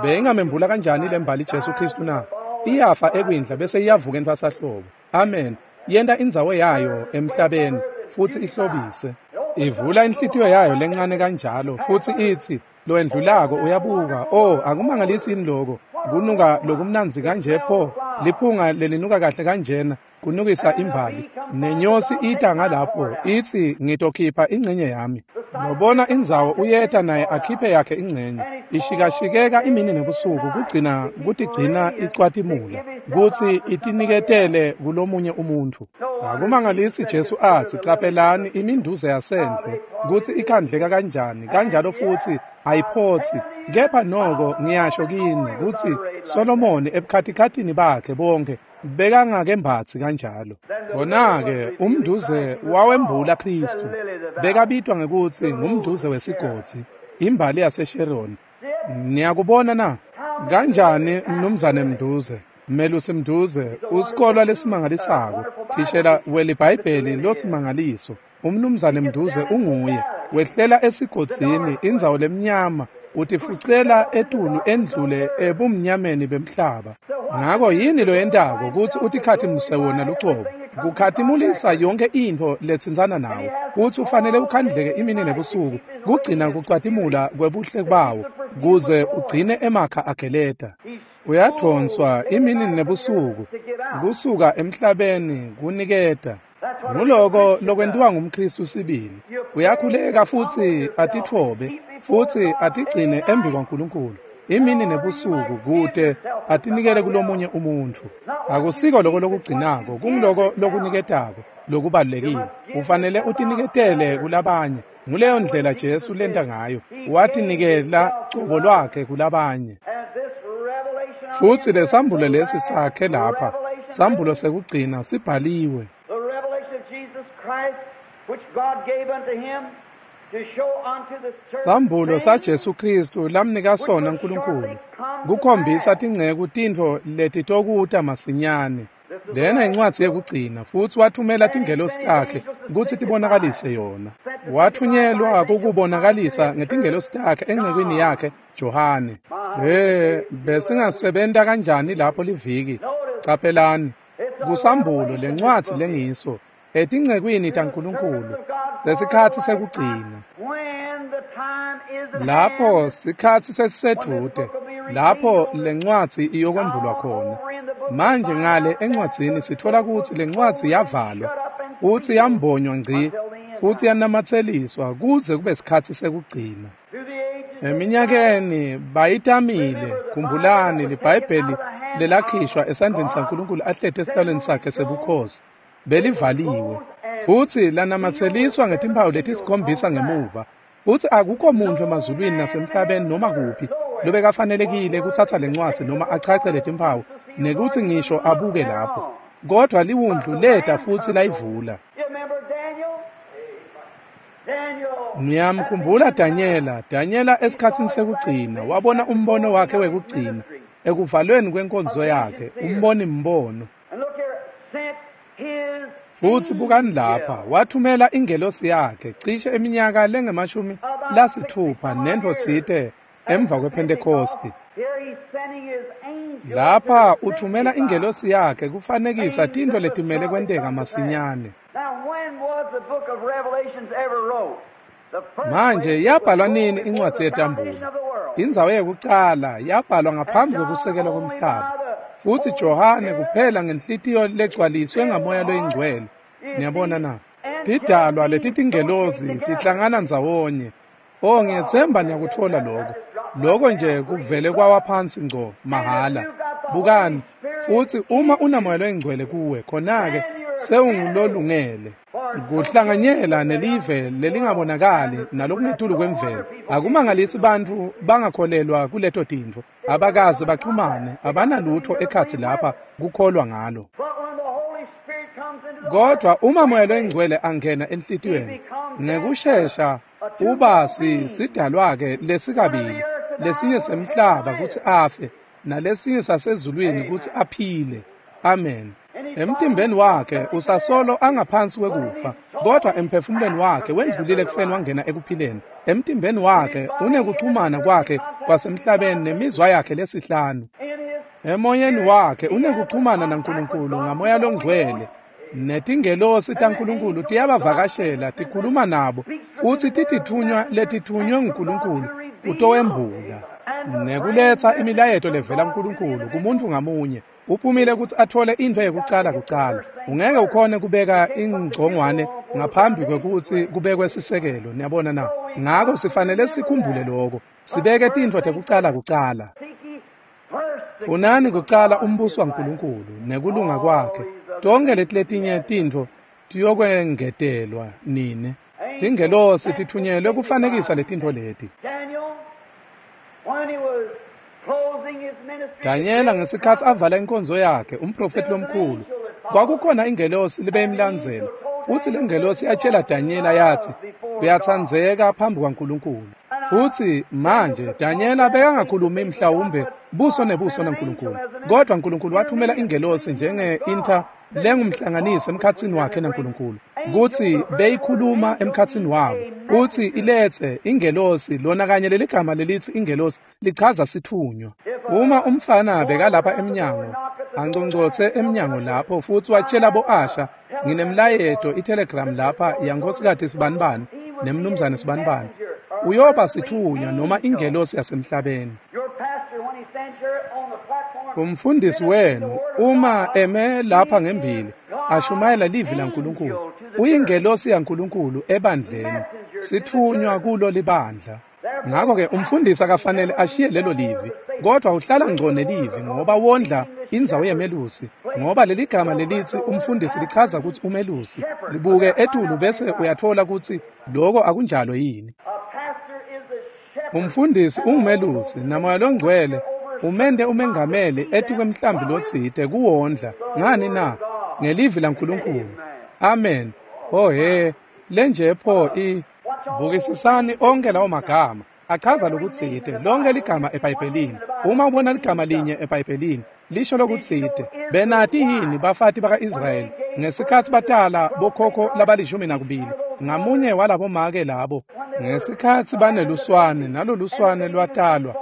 beyingamembula kanjani lembali Jesu Kristu na? Iyafa ekwindla bese iyavuka entfwasahlobo. Amen. Yenta indzawo yayo emhlabeni futsi ihlobise. Ivula inhlitiyo yayo lencane kanjalo futsi itsi loendlulako uyabuka. Oh, akumangalisi yini loko? Kunuka lokumnandzi kanje pho, liphunga lelinuka kahle kanjena, kunukisa imbali. Nenyosi ita ngalapho itsi ngitokhipha ingcenye yami. Lobona indzawo uyeta naye akhiphe yakhe ingcenye. Ishikashikeka imini nebusuku kugcina kutigcina icwatimula kutsi itiniketele kulomunye umuntfu. Akumangalisi Jesu atsi caphelani iminduze yasendle kutsi ikhandleka kanjani, kanjalo futsi ayiphotsi. Kepha noko ngiyasho kini kutsi Solomoni ebukhatikhathini bakhe bonke bekangakembatsi kanjalo. Kona-ke umnduze wawembula Kristu. Bekabitwa ngekutsi ngumnduze wesigodzi, imbali yaseSheroni. Niyakubona na? Kanjani mnumzane Mnduze, Melusi Mnduze, usikolwa lesimangalisako, thishela weliBhayibheli losimangaliso. Umnumzane Mnduze unguye. Wehlela esigodzini, indzawo lemnyama, utifucela etulu endlule ebumnyameni bemhlaba. Ngako yini loyentako kutsi utikhatimuse wona lucobo? Kukhatimulisa yonke intfo letsintsana nawo. Kutsi ufanele ukhandleke imini nebusuku kugcina kucwatimula kwebuhle bawo kuze ugcine emakha ageleta. Uyadvonswa imini nebusuku kusuka emhlabeni kuniketa. Nguloko lokwentiwa ngumKristu sibili. Uyakhuleka futsi atitfobe futsi atigcine embi kwaNkulunkulu imini nebusuku kute atinikele kulomunye umuntfu. Akusiko loko lokugcinako, kunguloko lokuniketako lokubalulekile. Ufanele utiniketele kulabanye. Nguleyo ndlela Jesu lenta ngayo, watinikela cobo lwakhe kulabanye. Futsi lesambulo lesi sakhe lapha, sambulo sekugcina sibhaliwe. Sambulo saJesu Kristu lamnika sona uNkulunkulu kukhombisa tinceku tintfo letitokuta masinyane. Lena incwadzi yekugcina, futsi wathumela tingelosi takhe kutsi tibonakalise yona. Wathunyelwa kukubonakalisa ngetingelosi takhe encekwini yakhe Johane. Besingasebenta kanjani lapho liviki? Caphelani, kusambulo lencwadzi lengiso etincekwini taNkulunkulu lesikhatsi sekugcina. Lapho sikhatsi sesisedvute, lapho lencwadzi iyokwembulwa khona. Manje ngale encwadzini sithola kutsi lencwadzi yavalwa futsi yambonywa ngci futsi yanamatseliswa kuze kube sikhatsi sekugcina. Eminyakeni bayitamile, khumbulani liBhayibheli lelakhishwa esandleni saNkulunkulu ahleti esihlalweni sakhe sebukhosi belivaliwe futsi lanamatseliswa ngetimpawu letisikhombisa ngemuva, futsi akukho muntfu emazulwini nasemhlabeni noma kuphi lobekafanelekile kutsatsa lencwadzi noma achache letimpawu nekutsi ngisho abuke lapho. Kodwa liwundlu leta futsi layivula. Ngiyamkhumbula Danyela. Danyela esikhatsini sekugcina wabona umbono wakhe wekugcina ekuvalweni kwenkonzo yakhe, umboni mbono. Futsi bukani lapha, wathumela ingelosi yakhe cishe eminyaka lengemashumi-lasitfupha nentfo tsite emva kwePhentekhosti. Lapha uthumela ingelosi yakhe kufanekisa tintfo letimele kwenteka masinyane. Manje yabhalwa nini incwadzi yetambulo? Indzawo yekucala yabhalwa ngaphambi kwekusekelwa komhlaba. Futsi Johane kuphela ngenhlitiyo legcwaliswe ngamoya loyingcwele. Niyabona na? Tidalwa letitingelosi tihlangana ndzawonye. Oh, ngiyetsemba niyakutfola lokho. Lokho nje kuvele kwawa phansi ngco mahhala. Bukani, futsi uma unamoya loyingcwele kuwe, khona-ke sewungulolungele kuhlanganyela nelive lelingabonakali nalokungetulu kwemvelo. Akumangalisi bantfu bangakholelwa kuleto tintfo, abakaze baxhumane, abanalutho ekhatsi lapha kukholwa ngalo. Kodwa uma moya loyingcwele angena enhlitiyweni, ngekushesha uba sidalwa-ke lesikabili, lesinye semhlaba kutsi afe, nalesinye sasezulwini kutsi aphile. Amen. Emtimbeni wakhe usasolo angaphansi kwekufa, kodwa emphefumulweni wakhe wendlulile ekufeni wangena ekuphileni. Emtimbeni wakhe unekuxhumana kwakhe kwasemhlabeni nemizwa yakhe lesihlanu. Emoyeni wakhe unekuxhumana naNkulunkulu ngamoya longcwele. Netingelosi taNkulunkulu tiyabavakashela, tikhuluma nabo, futsi titithunywa letithunywe nguNkulunkulu kutowembula nekuletsa imilayeto levela kuNkulunkulu kumuntu ngamunye. Uphumile kutsi athole intfo yekucala kucala. Ungeke ukhone kubeka ingcongwane ngaphambi kwekutsi kubekwe sisekelo, niyabona na? Ngako sifanele sikhumbule lokho, sibeke tintfo tekucala kucala. Funani kucala umbuso waNkulunkulu nekulunga kwakhe, tonke leti letinye tintfo tiyokwengetelwa nine. Tingelosi tithunyelwe kufanekisa letintfo leti. Danyela ngesikhatsi avala inkonzo yakhe, umprofeti lomkhulu, kwakukhona ingelosi libeyimlandzela, futsi lengelosi yatshela Danyela yatsi, uyatsandzeka phambi kwaNkulunkulu. Futsi manje Danyela bekangakhulumi mhlawumbe buso nebuso naNkulunkulu, kodwa uNkulunkulu wathumela ingelosi njenge-inter lengumhlanganisi emkhatsini wakhe naNkulunkulu, kutsi beyikhuluma emkhatsini wabo, kutsi iletse ingelosi. Lona kanye leligama lelitsi ingelosi lichaza sithunywa. Uma umfana bekalapha emnyango, angcongcotse emnyango lapho, futsi watshela bo-Asha, nginemlayeto itelegram lapha yankhosikati sibanibani nemnumzane sibanibani, uyoba sithunywa noma ingelosi yasemhlabeni. Umfundisi wenu uma eme lapha ngembili ashumayela livi laNkulunkulu, Uyingelosi yaNkulunkulu ebandleni, sitfunywa kulo libandla. Ngakho-ke umfundisi akafanele ashiye lelo livi, kodwa uhlala ngco nelivi ngoba wondla indzawo yemelusi, ngoba leli gama lelithi umfundisi lichaza ukuthi umelusi. Libuke etulu bese uyathola ukuthi lokho akunjalo yini. Umfundisi ungumelusi, naMoya loNgcwele umente umengameli etikwemhlambi lotsite kuwondla. Ngani na? Ngelivi laNkulunkulu. Amen. Oh he, lenje pho i bukisisani onke lawo magama achaza lokutsite. Lonke ligama eBhayibhelini, uma ubona ligama linye eBhayibhelini lisho lokutsite. Benati yini bafati baka-Israyeli ngesikhatsi batala bokhokho labali-12 ngamunye walabomake labo, ngesikhatsi baneluswane naloluswane lwatalwa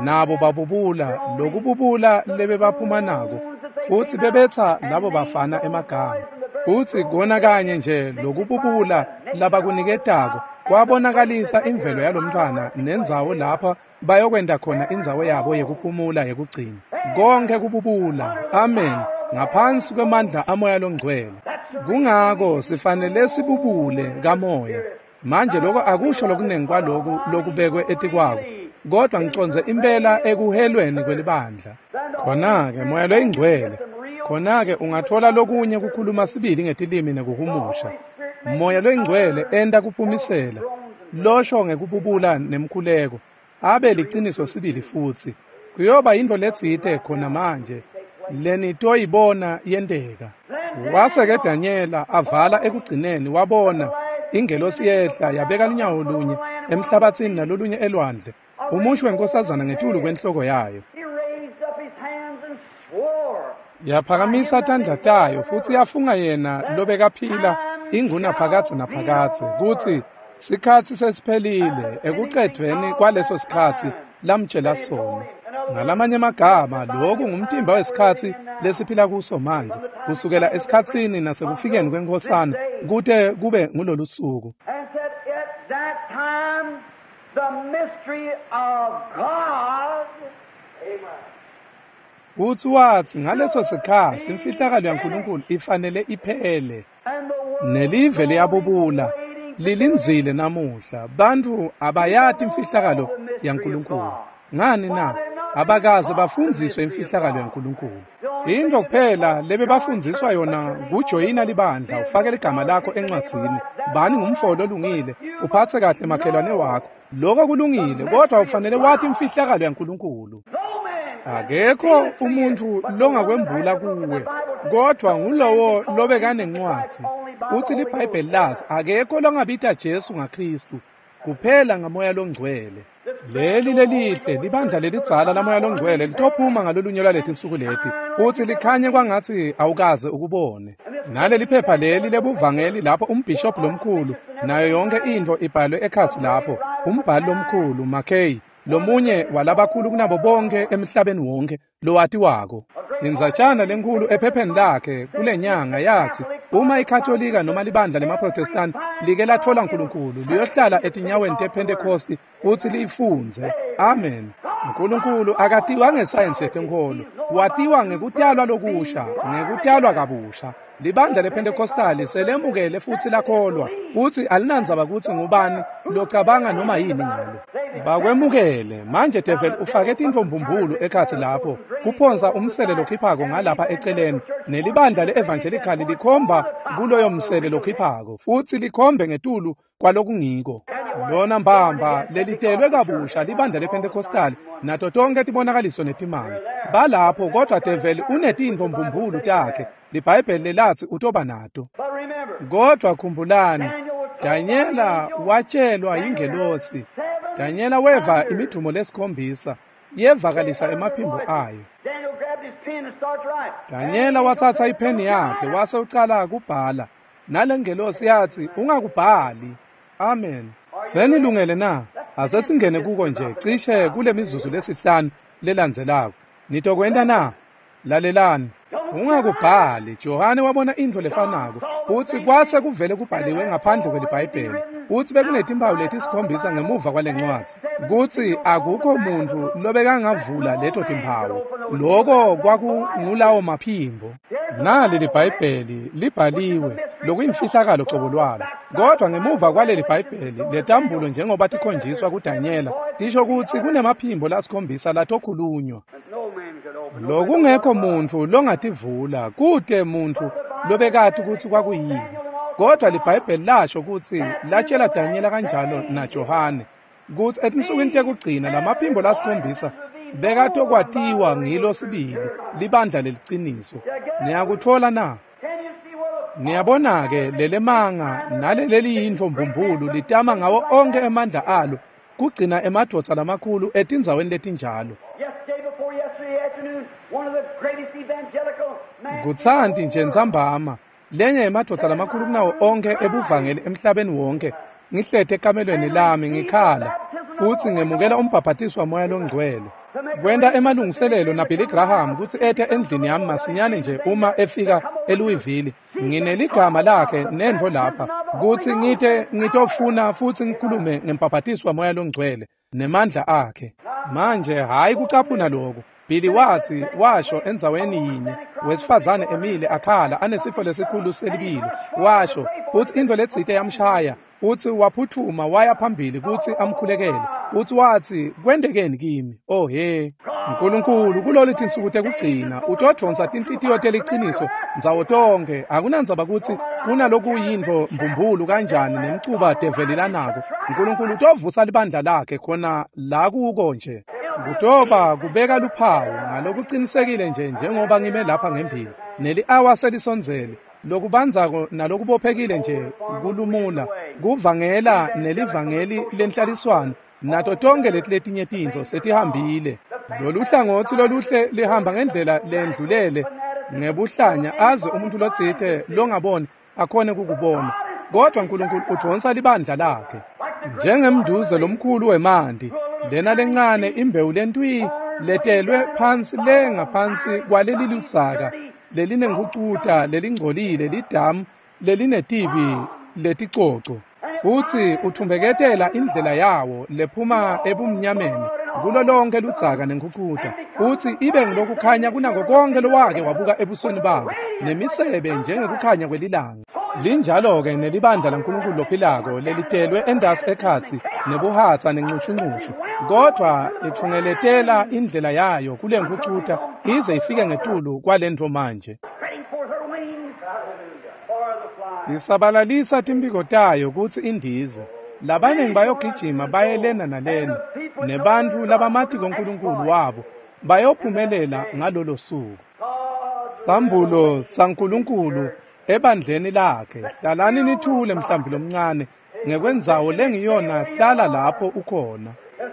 nabo babubula lokububula lebebaphuma nako, futsi bebetsa labo bafana emagama. Futsi kona kanye nje lokububula labakuniketako kwabonakalisa imvelo yalomntfwana nendzawo lapha bayokwenta khona indzawo yabo yekuphumula yekugcina. Konke kububula, amen, ngaphansi kwemandla aMoya loNgcwele. Kungako sifanele sibubule kamoya. Manje lokho akusho lokunengi kwaloku lokubekwe etikwako, kodwa ngicondze impela ekuhelweni kwelibandla. Khona-ke Moya loyiNgcwele, khona-ke ungathola lokunye kukhuluma sibili ngetilimi nekuhumusha. Moya loyiNgcwele enta kuphumisela, losho ngekububula nemkhuleko, abe liciniso sibili futsi. Kuyoba yintfo letsite khona manje lenitoyibona yenteka. Wase-ke Danyela avala ekugcineni wabona ingelosi yehla yabeka lunyawo lunye emhlabatsini nalolunye elwandle, umusho wenkosazana ngetulu kwenhloko yayo. Yaphakamisa tandla tayo futsi yafunga yena lobekaphila ingunaphakadze naphakadze kutsi sikhatsi sesiphelile ekucedvweni kwaleso sikhatsi lamtjela sona. Ngalamanye emagama, lokhu ngumtimba wesikhatsi lesiphila kuso manje, kusukela esikhatsini nasekufikeni kwenkosana kute kube ngulolu suku. Futsi watsi ngaleso sikhatsi imfihlakalo yaNkulunkulu ifanele iphele. Nelive liyabubula, lilindzile namuhla. Bantfu abayati imfihlakalo yaNkulunkulu. Ngani na? Abakaze bafundziswe imfihlakalo yaNkulunkulu. Into kuphela lebebafundziswa yona kujoyina libandla, ufake ligama lakho encwadzini, bani ngumfo lolungile, uphatse kahle makhelwane wakho. Lokho kulungile, kodwa ufanele wati imfihlakalo yaNkulunkulu. Akekho umuntfu longakwembula kuwe, kodwa ngulowo lobekanencwadzi. Futsi liBhayibheli lathi akekho longabita Jesu ngaKristu kuphela ngaMoya loNgcwele. Leli lelihle libandla lelidzala laMoya loNgcwele litophuma ngalolunye lwaletinsuku leti, futsi likhanye kwangatsi awukaze ukubone. Naleli phepha leli lebuvangeli lapho umbhishobhi lomkhulu nayo yonke intfo ibhalwe ekhatsi lapho, umbhali lomkhulu Mackay, lomunye walabakhulu kunabo bonke emhlabeni wonke lowatiwako. Indzatjana lenkulu ephepheni lakhe kulenyanga yathi uma iKatolika noma libandla lemaProtestant like latfola Nkulunkulu, liyohlala etinyaweni tePhentekosti futsi liyifundze. Amen. Nkulunkulu akatiwa ngesayensi yetenkholo, watiwa ngekutalwa lokusha, ngekutalwa kabusha. Libandla lePhentekostali selemukele futsi lakholwa, futsi alinandzaba kutsi ngubani locabanga noma yini ngalo. Bakwemukele. Manje devil ufake tintfo mbumbulu ekhatsi lapho, kuphonsa umsele lokhiphako ngalapha eceleni, nelibandla le-evangelical likhomba kuloyo msele lokhiphako, futsi likhombe ngetulu kwalokungiko. Lona mbamba lelitelwe kabusha libandla lePhentekostali nato tonke tibonakaliso netimanga. Balapho, kodwa devil unetintfo mbumbulu takhe. LiBhayibheli lelatsi utoba nato. Kodwa khumbulani, Danyela watshelwa yingelosi. Danyela weva imidumo lesikhombisa, yevakalisa emaphimbo ayo. Danyela watsatsa ipheni yakhe wase ucala kubhala. Nalengelosi yathi ungakubhali. Amen. Senilungele na? Asesingene kuko nje cishe kule mizuzu lesihlanu lelandzelako. Nitokwenta na? Lalelani. Ungakubhali. Johane wabona intfo lefanako, futsi kwase kuvele kubhaliwe ngaphandle kweliBhayibheli. Futsi bekunetimphawu letisikhombisa ngemuva kwale ncwadzi, kutsi akukho muntfu lobekangavula leto timphawu. Loko kwakungulawo maphimbo. Nali liBhayibheli libhaliwe, lokuyimfihlakalo cobo lwalo. Kodwa ngemuva kwaleli Bhayibheli, letambulo njengoba tikhonjiswa kuDanyela, tisho kutsi kunemaphimbo lasikhombisa latokhulunywa. Lokungekho muntfu longativula, kute muntfu lobekati kutsi kwakuyini. Kodwa liBhayibheli lasho kutsi latshela Danyela kanjalo naJohane kutsi etinsukwini tekugcina lamaphimbo lasikhombisa bekatokwatiwa ngilo sibili libandla leliciniso. Niyakutfola na? Niyabona-ke lelemanga naleleliyintfo mbumbulu litama ngawo onkhe emandla alo kugcina emadvodza lamakhulu etindzaweni letinjalo. Kutsanti nje ntsambama lenye yemadvodza lamakhulu kunawo onkhe ebuvangeli emhlabeni wonke, ngihlete ekamelweni lami ngikhala futsi ngemukela umbhabhatiso waMoya loNgcwele. Kwenta emalungiselelo naBilly Graham kutsi ete endlini yami masinyane nje uma efika eLouisville. Ngineligama lakhe nentfo lapha kutsi ngite ngitofuna futsi ngikhulume ngembhabhatiso waMoya loNgcwele nemandla akhe. Manje hhayi kucaphuna lokhu. Billy watsi washo endzaweni yinye wesifazane emile akhala anesifo lesikhulu selibilo, washo futsi intfo letsite yamshaya, futsi waphutfuma waya phambili kutsi amkhulekele, futsi watsi kwentekeni kimi? Oh he, Nkulunkulu kulolu tinsuku tekugcina utodvonsa tinhlitiyo teliciniso ndzawo tonkhe. Akunandzaba kutsi kunalokuyintfo mbumbulu kanjani nemcuba develi lanako, Nkulunkulu utovusa libandla lakhe khona la kuko nje. Kutoba kubeka luphawu ngalokucinisekile nje njengoba ngime lapha ngembili. Neli-awa selisondzele, lokubandzako nalokubophekile nje kulumula, kuvangela nelivangeli lenhlaliswano nato tonke leti letinye tintfo setihambile. Lolu hlangotsi loluhle lihamba ngendlela lendlulele ngebuhlanya aze umuntu lotsite longaboni akhone kukubona. Kodwa Nkulunkulu udvonsa libandla lakhe njengemnduze lomkhulu wemanti. Lena lencane imbewu lentwi letelwe phansi le ngaphansi kwaleli ludzaka lelinengucuta lelingcolile lidamu lelinetibi leticoco, futsi uthumbeketela indlela yawo lephuma ebumnyameni kulo lonke ludzaka nengucuta, futsi ibe ngilokukhanya kunako konke lowake wabuka ebusweni babo, nemisebe njengekukhanya kwelilanga. Linjalo-ke nelibandla laNkulunkulu lophilako lelitelwe endasi ekhatsi nebuhatsa nencushunqushu, kodvwa itfungeletela indlela yayo kule nkucuta ize ifike ngetulu kwalentfo manje. Isabalalisa timphiko tayo kutsi indize. Labaningi bayogijima baye lena nalena, nebantfu labamatiko Nkulunkulu wabo bayophumelela ngalolo suku. Sambulo saNkulunkulu ebandleni lakhe. Hlalani nithule mhlambi lomncane ngekwendzawo lengiyona, hlala lapho ukhona.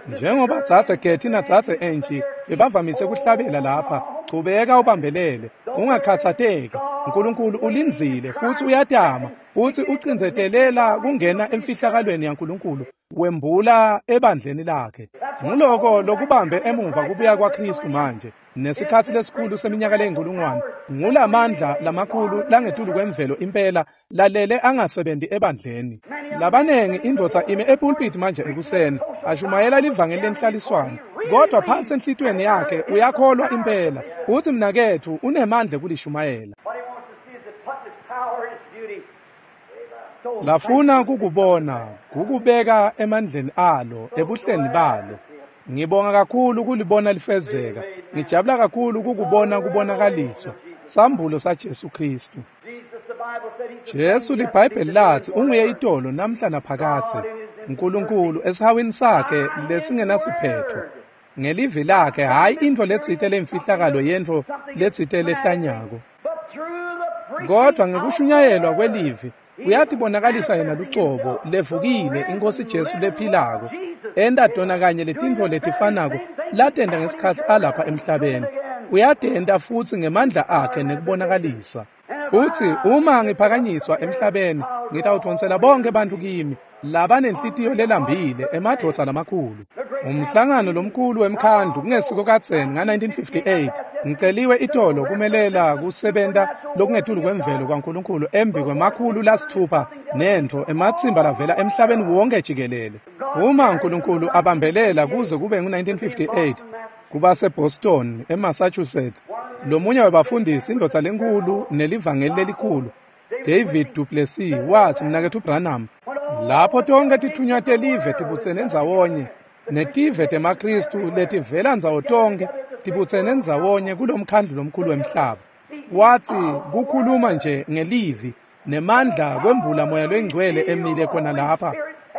Njengoba dzadze Getty nadzadze Angie bebavamise kuhlabela lapha, chubeka ubambelele, ungakhatsateki. Nkulunkulu ulindzile futsi uyatama, futsi ucindzetelela kungena emfihlakalweni yaNkulunkulu, wembula ebandleni lakhe. Nguloko lokubambe emuva kubuya kwaKhristu manje nesikhatsi lesikhulu seminyaka leyinkulungwane. Ngulamandla lamakhulu langetulu kwemvelo impela lalele angasebenzi ebandleni. Labanengi indvodza ime epulpit manje ekuseni ashumayela livangeli lenhlaliswano, kodwa phansi enhlitiyweni yakhe uyakholwa impela utsi mnaketfu unemandla kulishumayela. Lafuna kukubona kukubeka emandleni alo ebuhleni balo. Ngibonga kakhulu kulibona lifezeka. Ngijabula kakhulu kukubona kubonakaliswa sambulo saJesu Kristu. Jesu liBhayibheli lathi unguye itolo namhla naphakadze. Nkulunkulu esihawini sakhe lesingenasiphetho ngelivi lakhe, hhayi intfo letsite lemfihlakalo yentfo letsite lehlanyako, kodwa ngekushunyayelwa kwelivi uyatibonakalisa yena lucobo levukile iNkosi Jesu lephilako, enta tona kanye letintfo letifanako latenta ngesikhatsi alapha emhlabeni. Uyatenta futsi ngemandla akhe nekubonakalisa. Futsi uma ngiphakanyiswa emhlabeni ngitawudvonsela bonke bantfu kimi labanenhlitiyo lelambile, emadvodza lamakhulu. Umhlangano lomkhulu wemkhandlu kungesiko kadzeni nga-1958 ngiceliwe itolo kumelela kusebenta lokungetulu kwemvelo kwaNkulunkulu embi kwemakhulu lasitfupha nentfo ematsimba lavela emhlabeni wonke jikelele. Uma uNkulunkulu abambelela kuze kube ngu-1958 kuba seBoston eMassachusetts, lomunye wabafundisi indvodza lenkulu nelivangeli lelikhulu David Duplessis wathi, mnaketfu Branham, lapho tonke tithunywa telive tibutsene ndzawonye netive temaKristu letivela ndzawo tonke tibutsene ndzawonye kulomkhandlu lomkhulu wemhlaba, wathi kukhuluma nje ngelivi nemandla kwembula moya lwengcwele emile khona lapha.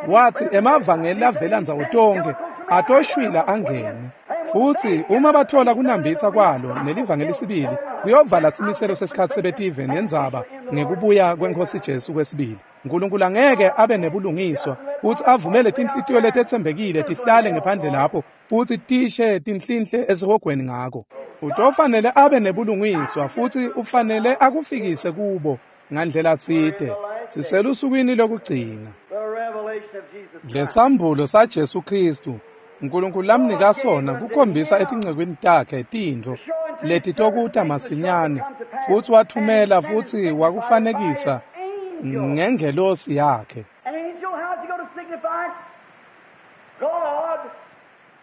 Wathi emavangeli lavela ndzawo tonke atoshwila angene, futhi uma bathola kunambitsa kwalo nelivangeli sibili kuyovala simiselo sesikhatsi sebetive nendzaba ngekubuya kweNkhosi Jesu kwesibili. uNkulunkulu angeke abe nebulungiswa futhi avumele tinhlitiyo letetsembekile tihlale ngephandle lapho futhi tishe tinhlinhle esihogweni ngako. Utofanele abe nebulungiswa futhi ufanele akufikise kubo ngandlela tsite. Siselusukwini lokugcina. Lesambulo saJesu Kristu uNkulunkulu lamnika sona kukhombisa etincekwini takhe tintfo letitokuta masinyane, futhi wathumela futhi wakufanekisa ngengelosi yakhe.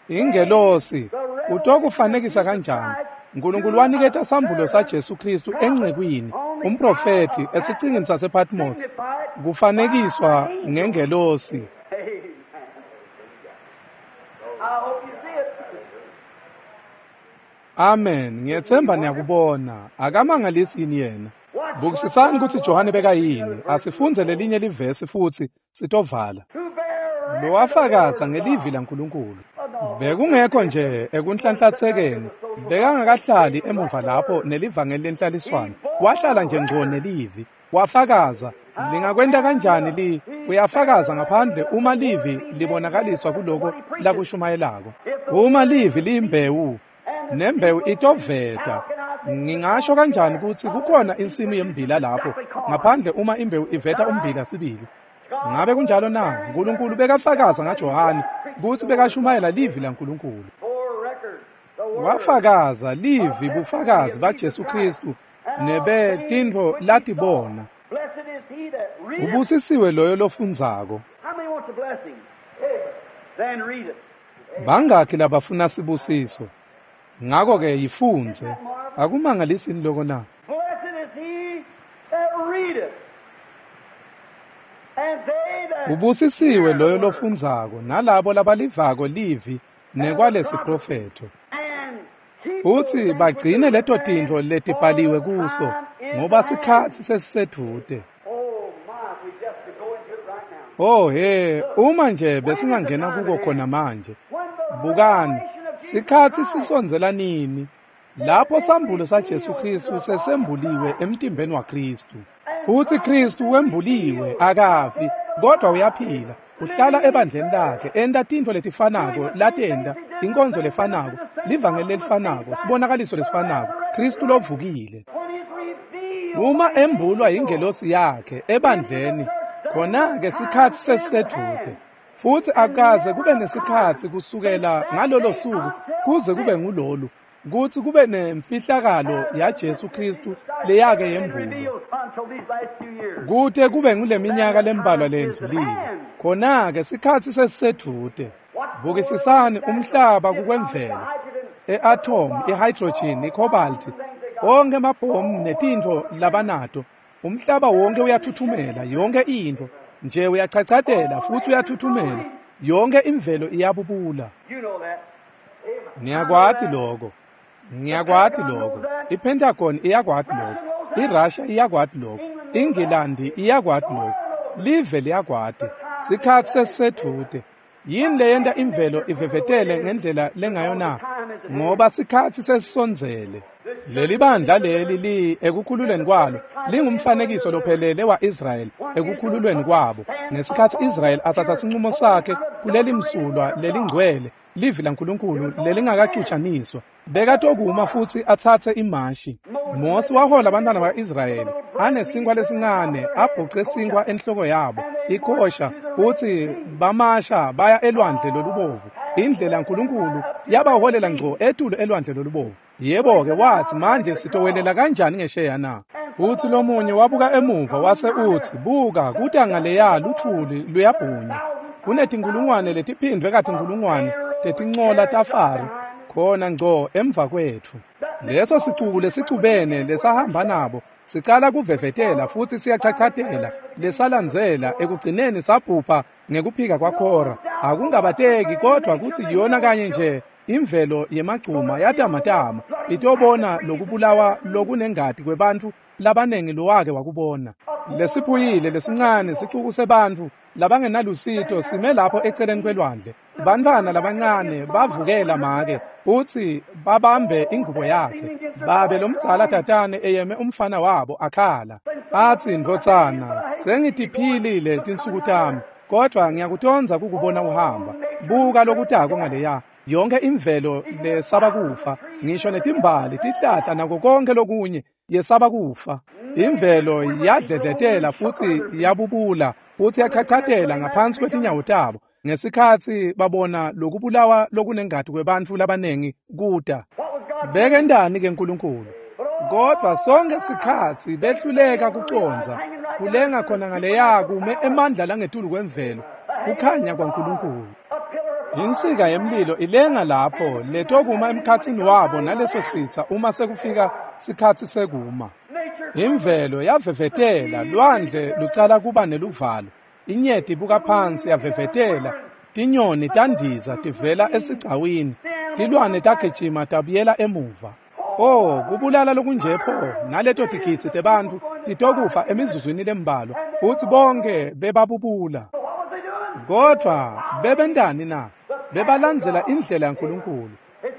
Ingelosi utokufanekisa kanjani? uNkulunkulu waniketa sambulo saJesu Kristu encekwini umprofeti esicingini sasePatmos kufanekiswa ngengelosi. Amen. Ngiyethemba niyakubona. Akamangalisi yini yena? Bukisisani kutsi Johane bekayini. Asifunze lelinye livesi futhi sitovala. Lowafakaza ngelivi laNkulunkulu. Bekungekho nje ekunhlanhlatsekeni. Bekangakahlali emuva lapho nelivangeli lenhlaliswano. Wahlala nje ngco nelivi. Wafakaza. Lingakwenta kanjani li? Uyafakaza ngaphandle uma livi libonakaliswa kuloko lakushumayelako. Uma livi liyimbewu, nembewu itoveta. Ngingasho kanjani ukuthi kukhona insimu yembila lapho ngaphandle uma imbewu iveta umbila sibili? Ngabe kunjalo na? uNkulunkulu bekafakaza ngaJohane ukuthi bekashumayela livi laNkulunkulu. Wafakaza livi bufakazi baJesu Kristu nebe tintfo latibona. Ubusisiwe loyo lofundzako. Bangakhi labafuna sibusiso? Ngakho-ke yifundze. Akumangalisini loko na? Ubusisiwe loyo lofundzako nalabo labalivako livi nekwalesiprofetho, futhi bagcine leto tintfo letibhaliwe kuso, ngoba sikhatsi sesisedvute. Oh he, uma nje besingangena kuko khona manje. Bukani, sikhatsi sisondzela nini lapho sambulo saJesu Kristu sesembuliwe emtimbeni waKristu. Futhi Kristu wembuliwe, akafi, kodwa uyaphila. Uhlala ebandleni lakhe, enta tintfo letifanako latenta, inkonzo lefanako, livangeli lelifanako, sibonakaliso lesifanako, Kristu lovukile. Uma embulwa ingelosi yakhe ebandleni, khona-ke sikhatsi sesisedvute. Futhi akaze kube nesikhatsi kusukela ngalolo suku kuze kube ngulolu kutsi kube nemfihlakalo yaJesu Kristu leyake yembulwa kute kube nguleminyaka lembalwa lendlulile. Khona-ke sikhatsi sesisedvute. Bukisisani umhlaba kukwemvelo, e-atom, i-hydrogen, i-cobalt, onke amabhomu netintfo labanato. Umhlaba wonke uyathuthumela, yonke intfo nje uyachachatela futhi uyathuthumela, yonke imvelo iyabubula. Niyakwati lokho. Ngiyakwati lokho. IPentagon iyakwati lokho. IRussia iyakwati lokho. INgilandi iyakwati lokho. Live liyakwati. Sikhatsi sesisedvute. Yini leyenta imvelo ivevetele ngendlela lengayo na? Ngoba sikhatsi sesisondzele. Leli bandla leli li ekukhululweni kwalo lingumfanekiso lophelele wa-Israyeli ekukhululweni kwabo. Ngesikhatsi Israyeli atsatsa sinqumo sakhe kuleli msulwa lelingcwele, livi laNkulunkulu lelingakacutshaniswa, bekatokuma futhi atsatse imashi. Mosi wahola abantwana ba-Israyeli anesinkwa lesincane, abhuce sinkwa enhloko yabo ikosha, futhi bamasha baya elwandle lolubovu. Indlela uNkulunkulu yabaholela ngco etulu elwandle lolubovu. Yebo-ke wathi, manje sitowelela kanjani ngesheya na? Futsi lomunye wabuka emuva wase utsi, buka, kuta ngaleya luthuli luyabhunya. Kunetinkulungwane letiphindvwe katinkulungwane tetincola taFaro khona ngco emva kwetfu. Leso sicuku lesicubene lesahamba nabo sicala kuvevetela futsi siyachachatela, lesalandzela ekugcineni sabhubha ngekuphika kwaKhora. Akungabateki kodwa kutsi yona kanye nje imvelo yemagcuma yatamatama itobona lokubulawa lokunengati kwebantfu labanengi lowake wakubona. Lesiphuyile lesincane sicuku sebantfu labangenalusito sime lapho eceleni kwelwandle. Bantfwana labancane bavukela make futsi babambe ingubo yakhe. Babe lomdzala tatane eyeme umfana wabo akhala. Atsi, ndvodzana, sengitiphilile tinsuku tami, kodvwa ngiyakutondza kukubona uhamba. Buka lokutako ngaleya. Yonke imvelo lesaba kufa, ngisho netimbali, tihlahla nako konke lokunye yesaba kufa. Imvelo yadledletela futsi yabubula futsi yachachatela ngaphansi kwetinyawo tabo ngesikhatsi babona lokubulawa lokunengati kwebantfu labanengi kuta. Bekentani ke Nkulunkulu? Kodvwa sonke sikhatsi behluleka kucondza, kulenga khona ngaleya kume emandla langetulu kwemvelo, kukhanya kwaNkulunkulu. Insika yemlilo ilenga lapho letokuma emkhatsini wabo naleso sitsa uma sekufika sikhatsi sekuma. Imvelo yavevetela, lwandle lucala kuba neluvalo. Inyeti ibuka phansi yavevetela, tinyoni tandiza tivela esigcawini, tilwane tagijima tabuyela emuva. Oh, kubulala lokunje pho, naleto tigidzi tebantfu titokufa emizuzwini lembalwa, futsi bonke bebabubula. Kodvwa bebentani na? Bebalandzela indlela yaNkulunkulu.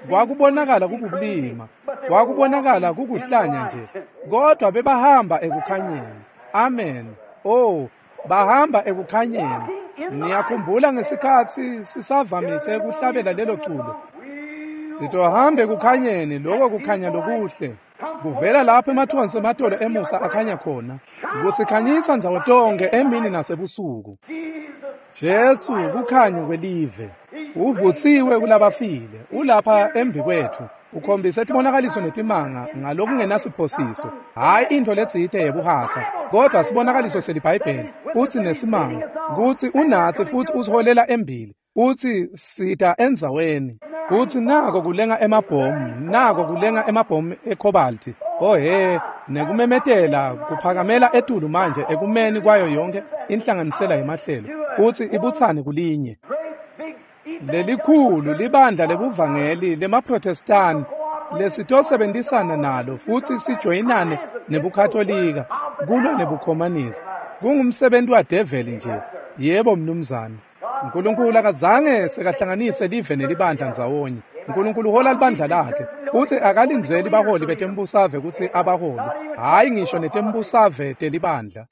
Kwakubonakala kububulima, kwakubonakala kukuhlanya nje, kodvwa bebahamba ekukhanyeni. Amen. Oh, bahamba ekukhanyeni. Niyakhumbula ngesikhatsi sisavamise kuhlabela lelo culo. Sitohamba ekukhanyeni, loko kukhanya lokuhle. Kuvela lapho emathonsi ematolo emusa akhanya khona. Kusikhanyisa ndzawo tonkhe emini nasebusuku. Jesu kukhanya kwelive. Uvutsiwe kulabafile, ulapha embi kwetfu. Ukhombise tibonakaliso netimanga ngalokungenasiphosiso. Hhayi intfo letsite yebuhatsa, kodwa sibonakaliso seliBhayibheli, futsi nesimanga, kutsi unatsi futsi usiholela embili, utsi sita endzaweni. Futsi nako kulenga emabhomu, nako kulenga emabhomu ekhobalti. Oh he, nekumemetela kuphakamela etulu manje ekumeni kwayo yonke inhlanganisela yemahlelo, futsi ibutsane kulinye. Lelikhulu libandla lebuvangeli lemaProtestani lesitosebentisana nalo futsi sijoyinane nebuKatolika kulwa nebukhomanisi. Kungumsebenti wadeveli nje. Yebo mnumzane. Nkulunkulu akazange sekahlanganise live nelibandla ndzawonye. Nkulunkulu uhola libandla lakhe futsi akalindzeli baholi betembusave kutsi abaholi, hhayi ngisho netembusave telibandla.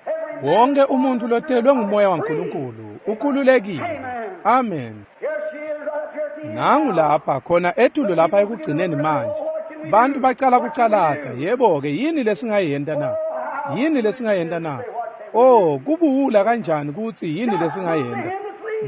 Wonke umuntu lotelwe ngumoya waNkulunkulu ukhululekile. Amen. Nangu lapha khona etulu lapha ekugcineni manje. Bantu bacala kucalata. Yebo-ke, yini lesingayenta na? Yini lesingayenta na? Oh, kubuwula kanjani kutsi yini lesingayenta?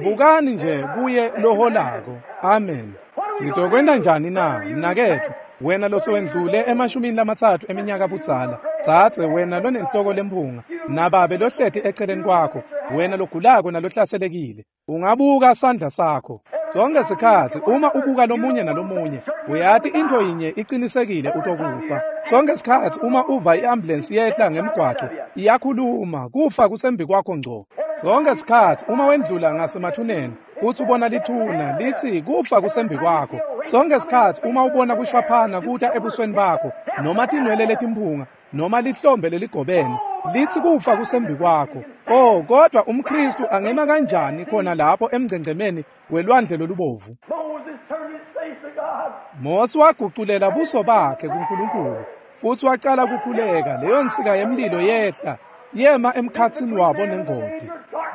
Bukani nje kuye loholako. Amen. Sitokwenta njani na, mnaketfu? Wena losewendlule emashumini lamatsatfu eminyaka budzala, tsatse wena lonenhloko lemphunga, nababe lohleti eceleni kwakho, wena logulako nalohlaselekile, ungabuka sandla sakho. Sonke sikhatsi uma ubuka lomunye nalomunye, uyati intfo yinye icinisekile utokufa. Sonke sikhatsi uma uva i-ambulensi yehla ngemgwaco, iyakhuluma, kufa kusembi kwakho ngco. Sonke sikhatsi uma wendlula ngasemathuneni, futsi ubona lithuna, litsi kufa kusembi kwakho. Sonke sikhatsi uma ubona kushwaphana kuta ebusweni bakho, noma tinwele letimphunga, noma lihlombe leligobene, litsi kufa kusembi kwakho. Oh, kodwa umKristu angema kanjani khona lapho emngcengcemeni welwandle lolubovu? Mose waguculela buso bakhe kuNkulunkulu futsi wacala kukhuleka. Leyo nsika yemlilo yehla yema emkhatsini wabo nengodi.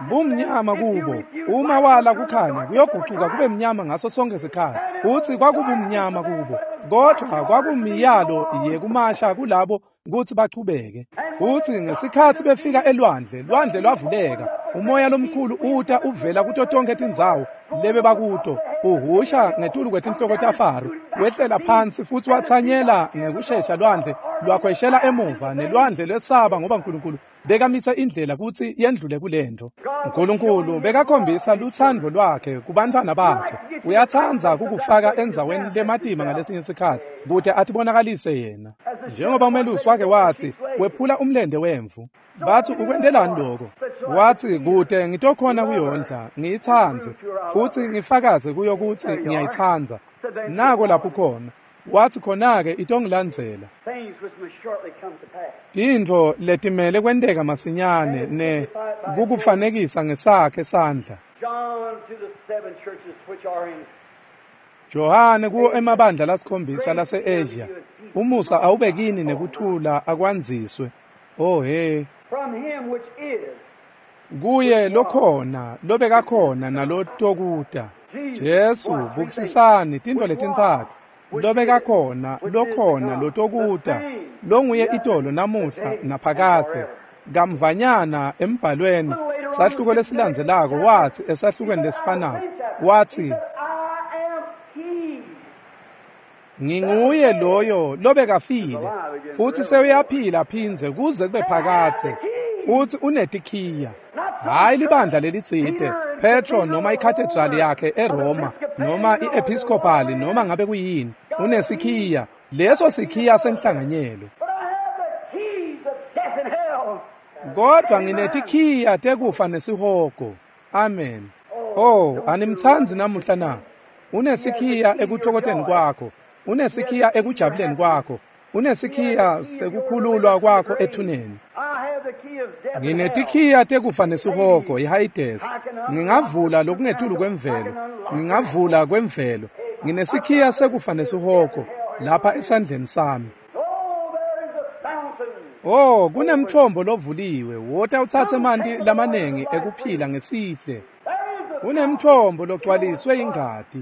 Bumnyama kubo, uma wala kukhanya kuyogucuka kube mnyama ngaso sonke sikhatsi. Futsi kwakubumnyama kubo, kodvwa kwakumiyalo yekumasha kulabo kutsi bachubeke. Futsi ngesikhatsi befika elwandle, lwandle lwavuleka. Umoya lomkhulu uta uvela kuto tonkhe tindzawo lebebakuto, uhusha ngetulu kwetinhloko taFaro. Wehlela phansi futhi wathanyela ngekushesha lwandle lwakhweshela emuva, nelwandle lwesaba ngoba uNkulunkulu bekamitha indlela kutsi yendlule kulento. uNkulunkulu bekakhombisa lutsandvo lwakhe kubantfwana bakhe. Uyatsandza kukufaka endzaweni lematima ngalesinye isikhatsi kute atibonakalise yena. Njengoba umelusi wake wathi, wephula umlente wemvu. Bathi ukwentelani lokho? Wathi kute ngitokhona kuyondla, ngiyitsandze futhi ngifakaze kuyo kutsi ngiyayitsandza. Nako lapho khona. Wathi khona-ke itongilandzela. Tintfo letimele kwenteka masinyane ne kukufanekisa ngesakhe sandla. Johane kuwo emabandla lasikhombisa lase-Asia, umusa awube kini nekuthula akwandziswe. Oh he. Kuye lokhona, lobekakhona nalotokuta. Jesu, bukisisani tintfo letintsatfu. Lobekakhona, lokhona, lotokuta, longuye itolo namuhla naphakadze. Kamvanyana embhalweni sahluko lesilandzelako wathi esahlukweni lesifanako wathi, nginguye loyo lobekafile futhi sewuyaphila phindze kuze kube phakadze, futhi unetikhiya. Hayi libandla lelitsite, Petro noma ikhathedrali yakhe eRoma noma i-Episcopali noma ngabe kuyini, unesikhiya, leso sikhiya senhlanganyelo. Kodwa nginetikhiya tekufa nesihogo. Amen. Oh, animtsandzi namuhla na? Unesikhiya ekuthokoteni kwakho, unesikhiya ekujabuleni kwakho, unesikhiya sekukhululwa kwakho ethuneni. Nginetikhiya tekufa nesihogo, iHayidesi. Ngingavula lokungetulu kwemvelo, ngingavula kwemvelo. Nginesikhiya sekufa nesihogo lapha esandleni sami. Oh, kunemthombo lovuliwe, wota utsatse emanti lamanengi ekuphila ngesihle. Kunemthombo logcwaliswe ingati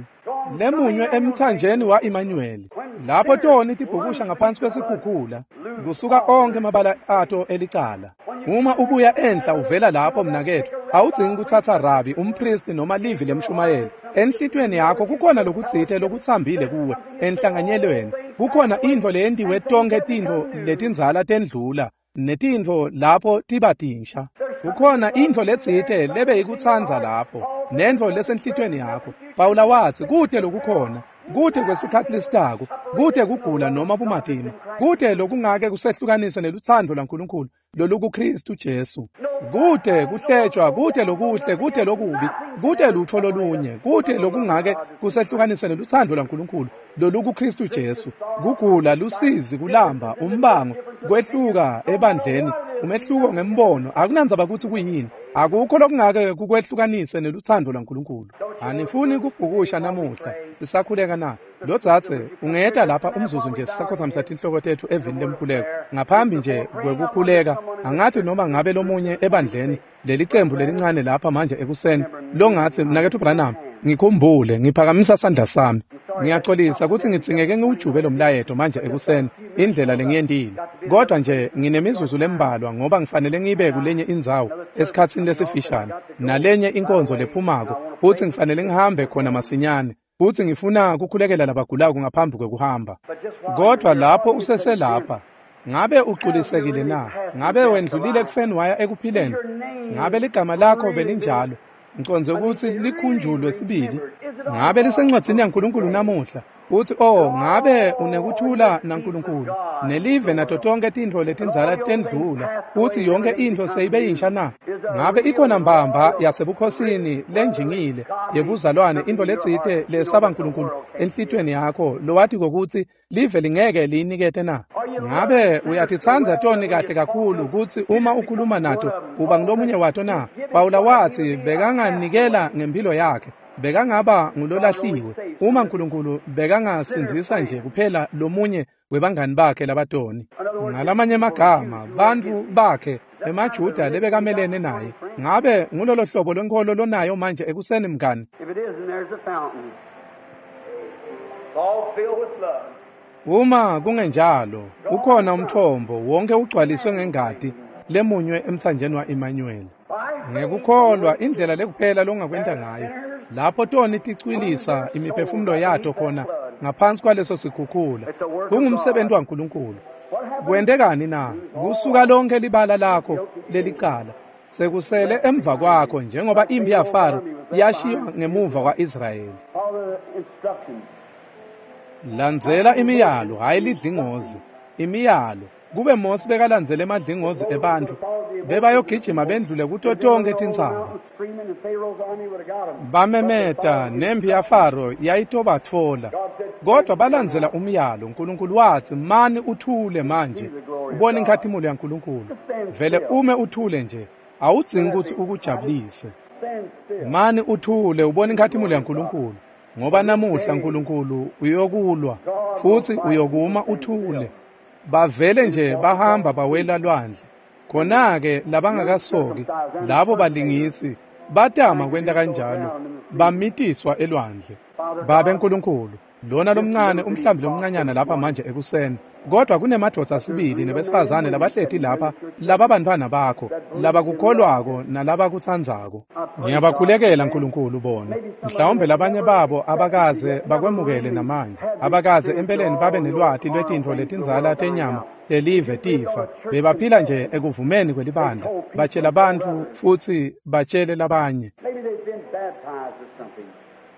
lemunywe emthanjeni wa-Emmanuel. Lapho toni tibhukusha ngaphansi kwesikhukhula, kusuka onke amabala ato elicala. Uma ubuya enhla uvela lapho mnaketfu, awudzingi kutsatsa rabi, umpristi noma livi lemshumayeli. Enhlitiyweni yakho kukhona lokutsite lokutsambile kuwe enhlanganyelweni. Kukhona intfo leyentiwe tonkhe tintfo letindzala tendlula, netintfo lapho tiba tinsha. Kukhona intfo letsite lebeyikutsandza lapho, nentfo lesenhlitiyweni yakho. Pawula wathi kute lokukhona, kute kwesikhatsi lesitako, kute kugula noma bumatima, kute lokungake kusehlukanise nelutsandvo lwaNkulunkulu lolukuKristu Jesu. Kute kuhletshwa, kute lokuhle, kute lokubi, kute lutfo lolunye, kute lokungake kusehlukanise nelutsandvo lwaNkulunkulu lolukuKristu Jesu. Kugula, lusizi, kulamba, umbango, kwehluka ebandleni, umehluko ngembono, akunandzaba kutsi kuyini. Akukho lokungake kukwehlukanise nelutsandvo lwaNkulunkulu. Anifuni kubhukusha namuhla, sisakhuleka na? Lodzadze, ungeta lapha umzuzu nje sisakhothamisa tinhloko tetfu evini lemkhuleko. Ngaphambi nje kwekukhuleka, angathi noma ngabe lomunye ebandleni lelicembu lelincane lapha manje ekuseni longatsi mnaketfu Branham, ngikhumbule ngiphakamisa sandla sami. Ngiyaxolisa kutsi ngidzingeke ngiwujube lo mlayeto manje ekuseni indlela lengiyentile. Kodwa nje nginemizuzu lembalwa ngoba ngifanele ngibe kulenye indzawo esikhatsini lesifishane nalenye inkonzo lephumako, futsi ngifanele ngihambe khona masinyane. Futsi ngifuna kukhulekela labagulako ngaphambi kwekuhamba. Kodwa lapho useselapha, ngabe uculisekile na? Ngabe wendlulile ekufeni waya ekuphileni? Ngabe ligama lakho belinjalo? Ngicondze ukuthi likhunjulwe sibili. Ngabe lisencwadzini yaNkulunkulu namuhla? Uthi, oh, ngabe unekuthula naNkulunkulu nelive nato tonke tintfo letindzala tendlula, uthi yonke intfo seyibe yinsha na? Ngabe ikhona mbamba yasebukhosini lenjingile yebuzalwane, intfo letsite lesaba Nkulunkulu enhlitiyweni yakho lowati kokutsi live lingeke liyinikete na? Ngabe uyatitsandza toni kahle kakhulu kutsi uma ukhuluma nato uba ngulomunye wato na? Pawula watsi bekanganikela ngempilo yakhe, bekangaba ngulolahliwe uma Nkulunkulu bekangasindzisa nje kuphela lomunye webangani bakhe labatoni. Ngalamanye emagama, bantfu bakhe emaJuda lebekamelene naye. Ngabe ngulolo hlobo lwenkholo lonayo manje ekuseni mngani? Uma kungenjalo, ukhona umthombo wonke ugcwaliswe ngengati lemunywe emthanjeni wa-Emmanuel. Ngekukholwa indlela lekuphela longakwenta ngayo, lapho toni ticwilisa imiphefumulo yato khona ngaphansi kwaleso sikhukhula. Kungumsebenzi waNkulunkulu. Kwentekani na? Kusuka lonke libala lakho lelicala sekusele emva kwakho, njengoba impi yaFaro yashiywa ngemuva kwa-Israyeli. Landzela imiyalo, hhayi lidlingozi. Imiyalo. Kube Mose bekalandzele emadlingozi ebantfu, bebayogijima bendlule kuto tonkhe tintsaba. Bamemeta nempi yaFaro yayitobatfola. Kodwa balandzela umyalo. Nkulunkulu watsi, mani uthule manje, ubone inkhatimulo yaNkulunkulu. Vele ume uthule nje, awudzingi kutsi ukujabulise. Mani uthule ubone inkhatimulo yaNkulunkulu, ngoba namuhla Nkulunkulu uyokulwa futsi uyokuma uthule. Bavele nje bahamba bawela lwandle. Khona-ke labangakasoki, labo balingisi, batama kwenta kanjalo, bamitiswa elwandle. Babe Nkulunkulu, lona lomncane umhlambi lomncanyana lapha manje ekuseni, kodwa kunemadvodza sibili nebesifazane labahleti lapha, lababantfwana bakho, labakukholwako nalabakutsandzako. Ngiyabakhulekela Nkulunkulu bona. Mhlawumbe labanye babo abakaze bakwemukele namanje, abakaze empeleni babe nelwati lwetintfo letindzala tenyama lelive tifa. Bebaphila nje ekuvumeni kwelibandla, batshela bantfu futsi batshele labanye.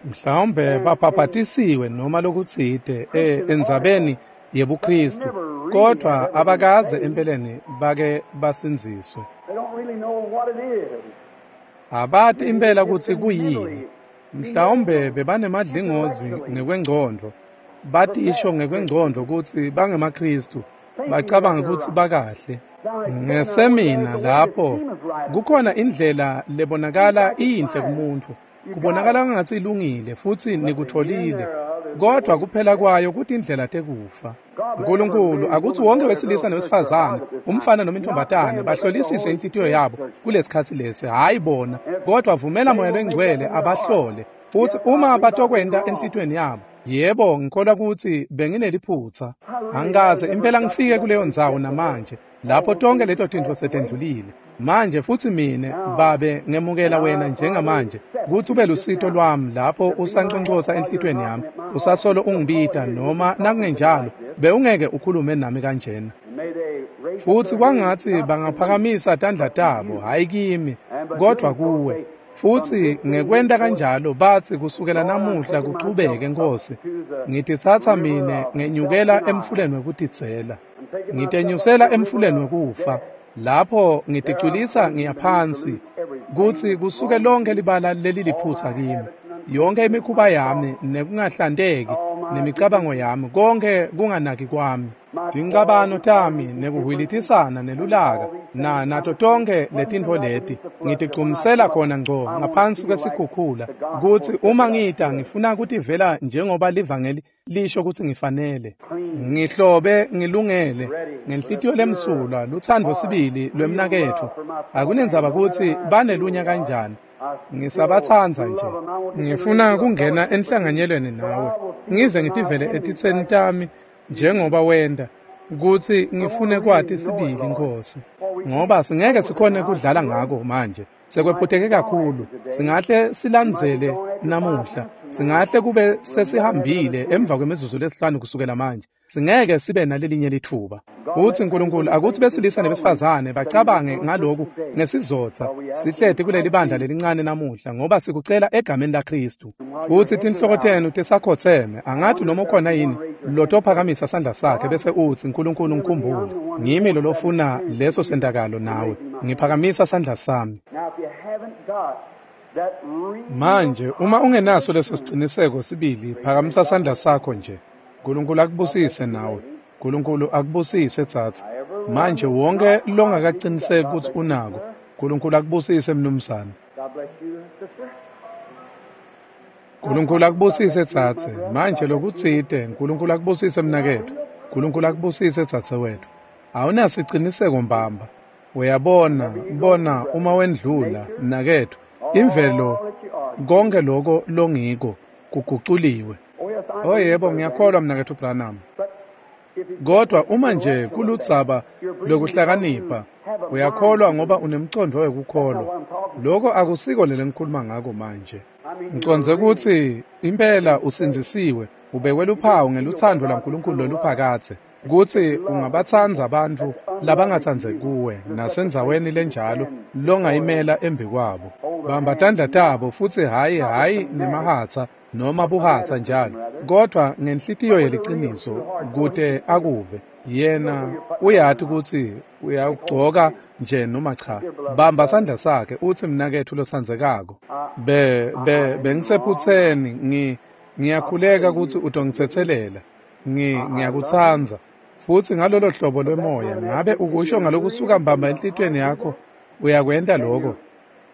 Mhlawumbe babhabhatisiwe noma lokutsite endzabeni yebuKristu, kodwa abakaze empeleni bake basindziswe. Abati impela kutsi kuyini. Mhlawumbe bebanemadlingozi ngekwengcondvo, batisho ngekwengcondvo kutsi bangemaKristu, bacabanga kutsi bakahle. Ngesemina lapho kukhona indlela lebonakala iyinhle kumuntu, kubonakala ngathi ilungile futsi nikutholile, kodwa kuphela kwayo kutindlela tekufa. Nkulunkulu akutsi wonke wesilisa newesifazane, umfana noma intombazane, bahlolisise inhlitiyo yabo kulesikhatsi lesi, hhayi bona, kodwa vumela Moya Longcwele abahlole. Futsi uma batokwenta enhlitiyweni yabo, yebo, ngikholwa kutsi bengineliphutsa. Angikaze impela ngifike kuleyo ndzawo namanje, lapho tonke leto tintfo setendlulile. Manje futsi mine, Babe, ngemukela wena njengamanje kutsi ube lusito lwami lapho usanconcotsa enhlitiyweni yami, usasolo ungibita, noma nakungenjalo bewungeke ukhulume nami kanjena. Futsi kwangatsi bangaphakamisa tandla tabo, hhayi kimi, kodvwa kuwe. Futsi ngekwenta kanjalo batsi kusukela namuhla kuchubeke, Nkosi, ngititsatsa mine ngenyukela emfuleni wekutidzela, ngitenyusela emfuleni wekufa. Lapho ngiticwilisa ngiyaphansi kutsi kusuke lonke libala leliliphutsa kimi, yonke imikhuba yami nekungahlanteki nemicabango yami, konke kunganaki kwami, tincabano tami nekuhwilitisana nelulaka na nato tonke letintfo leti, ngitigcumisela khona ngco ngaphansi kwesikhukhula, kutsi uma ngita ngifuna kutivela njengoba livangeli lisho kutsi ngifanele. Ngihlobe ngilungele ngenhlitiyo lemsulwa, lutsandvo sibili lwemnaketfu. Akunendzaba kutsi banelunya kanjani, ngisabatsandza nje. Ngifuna kungena enhlanganyelweni nawe, ngize ngitivele etitseni tami njengoba wenta, kutsi ngifune kwati sibili, Nkosi, ngoba singeke sikhone kudlala ngako manje. Sekwephutheke kakhulu. Singahle silandzele namuhla, singahle kube sesihambile emva kwemizuzu lesihlanu kusukela manje. Singeke sibe nalelinye litfuba. Futsi Nkulunkulu akutsi besilisa nebesifazane bacabange ngaloku ngesizotsa sihleti kuleli bandla lelincane namuhla, ngoba sikucela egameni laKristu. Futsi tinhloko tenu tisakhotseme, angathi noma ukhona yini lotophakamisa sandla sakhe bese utsi, Nkulunkulu ngikhumbule, ngimi lolofuna leso sentakalo nawe, ngiphakamisa sandla sami. Manje uma ungenaso leso siciniseko sibili, phakamisa sandla sakho nje. Nkulunkulu akubusise nawe. Nkulunkulu akubusise tsatsa. Manje wonke longakaciniseki kutsi unako, Nkulunkulu akubusise mnumzane. Nkulunkulu akubusise tsatse. Manje lokutsite, Nkulunkulu akubusise mnaketfu. Nkulunkulu akubusise tsatse wetfu. Awunasiciniseko mbamba. Uyabona, bona uma wendlula mnaketfu, imvelo konke lokho longiko kuguculiwe. Oh yebo, ngiyakholwa mnaketfu Branham. Kodwa uma nje kuludzaba lokuhlakanipha, uyakholwa ngoba unemcondvo wekukholwa. Lokho akusiko lele ngikhuluma ngako manje. Ngicondze kutsi impela usindzisiwe. Ubekwe luphawu ngelutsandvo lwaNkulunkulu loluphakadze, kutsi ungabatsandza bantfu labangatsandzeki kuwe nasendzaweni lenjalo longayimela embikwabo. Bamba tandla tabo futsi hhayi nemahatsa noma buhatsa njalo, kodvwa ngenhlitiyo yeliciniso kute akuve. Yena uyati kutsi uyagcoka nje noma cha. Bamba sandla sakhe utsi, mnaketfu lotsandzekako, bengisephutseni, ngiyakhuleka kutsi utongitsetselela. Ngiyakutsandza. Futsi ngalolo hlobo lwemoya, ngabe ukusho ngalokusuka mbamba enhlitiyweni yakho, uyakwenta lokho?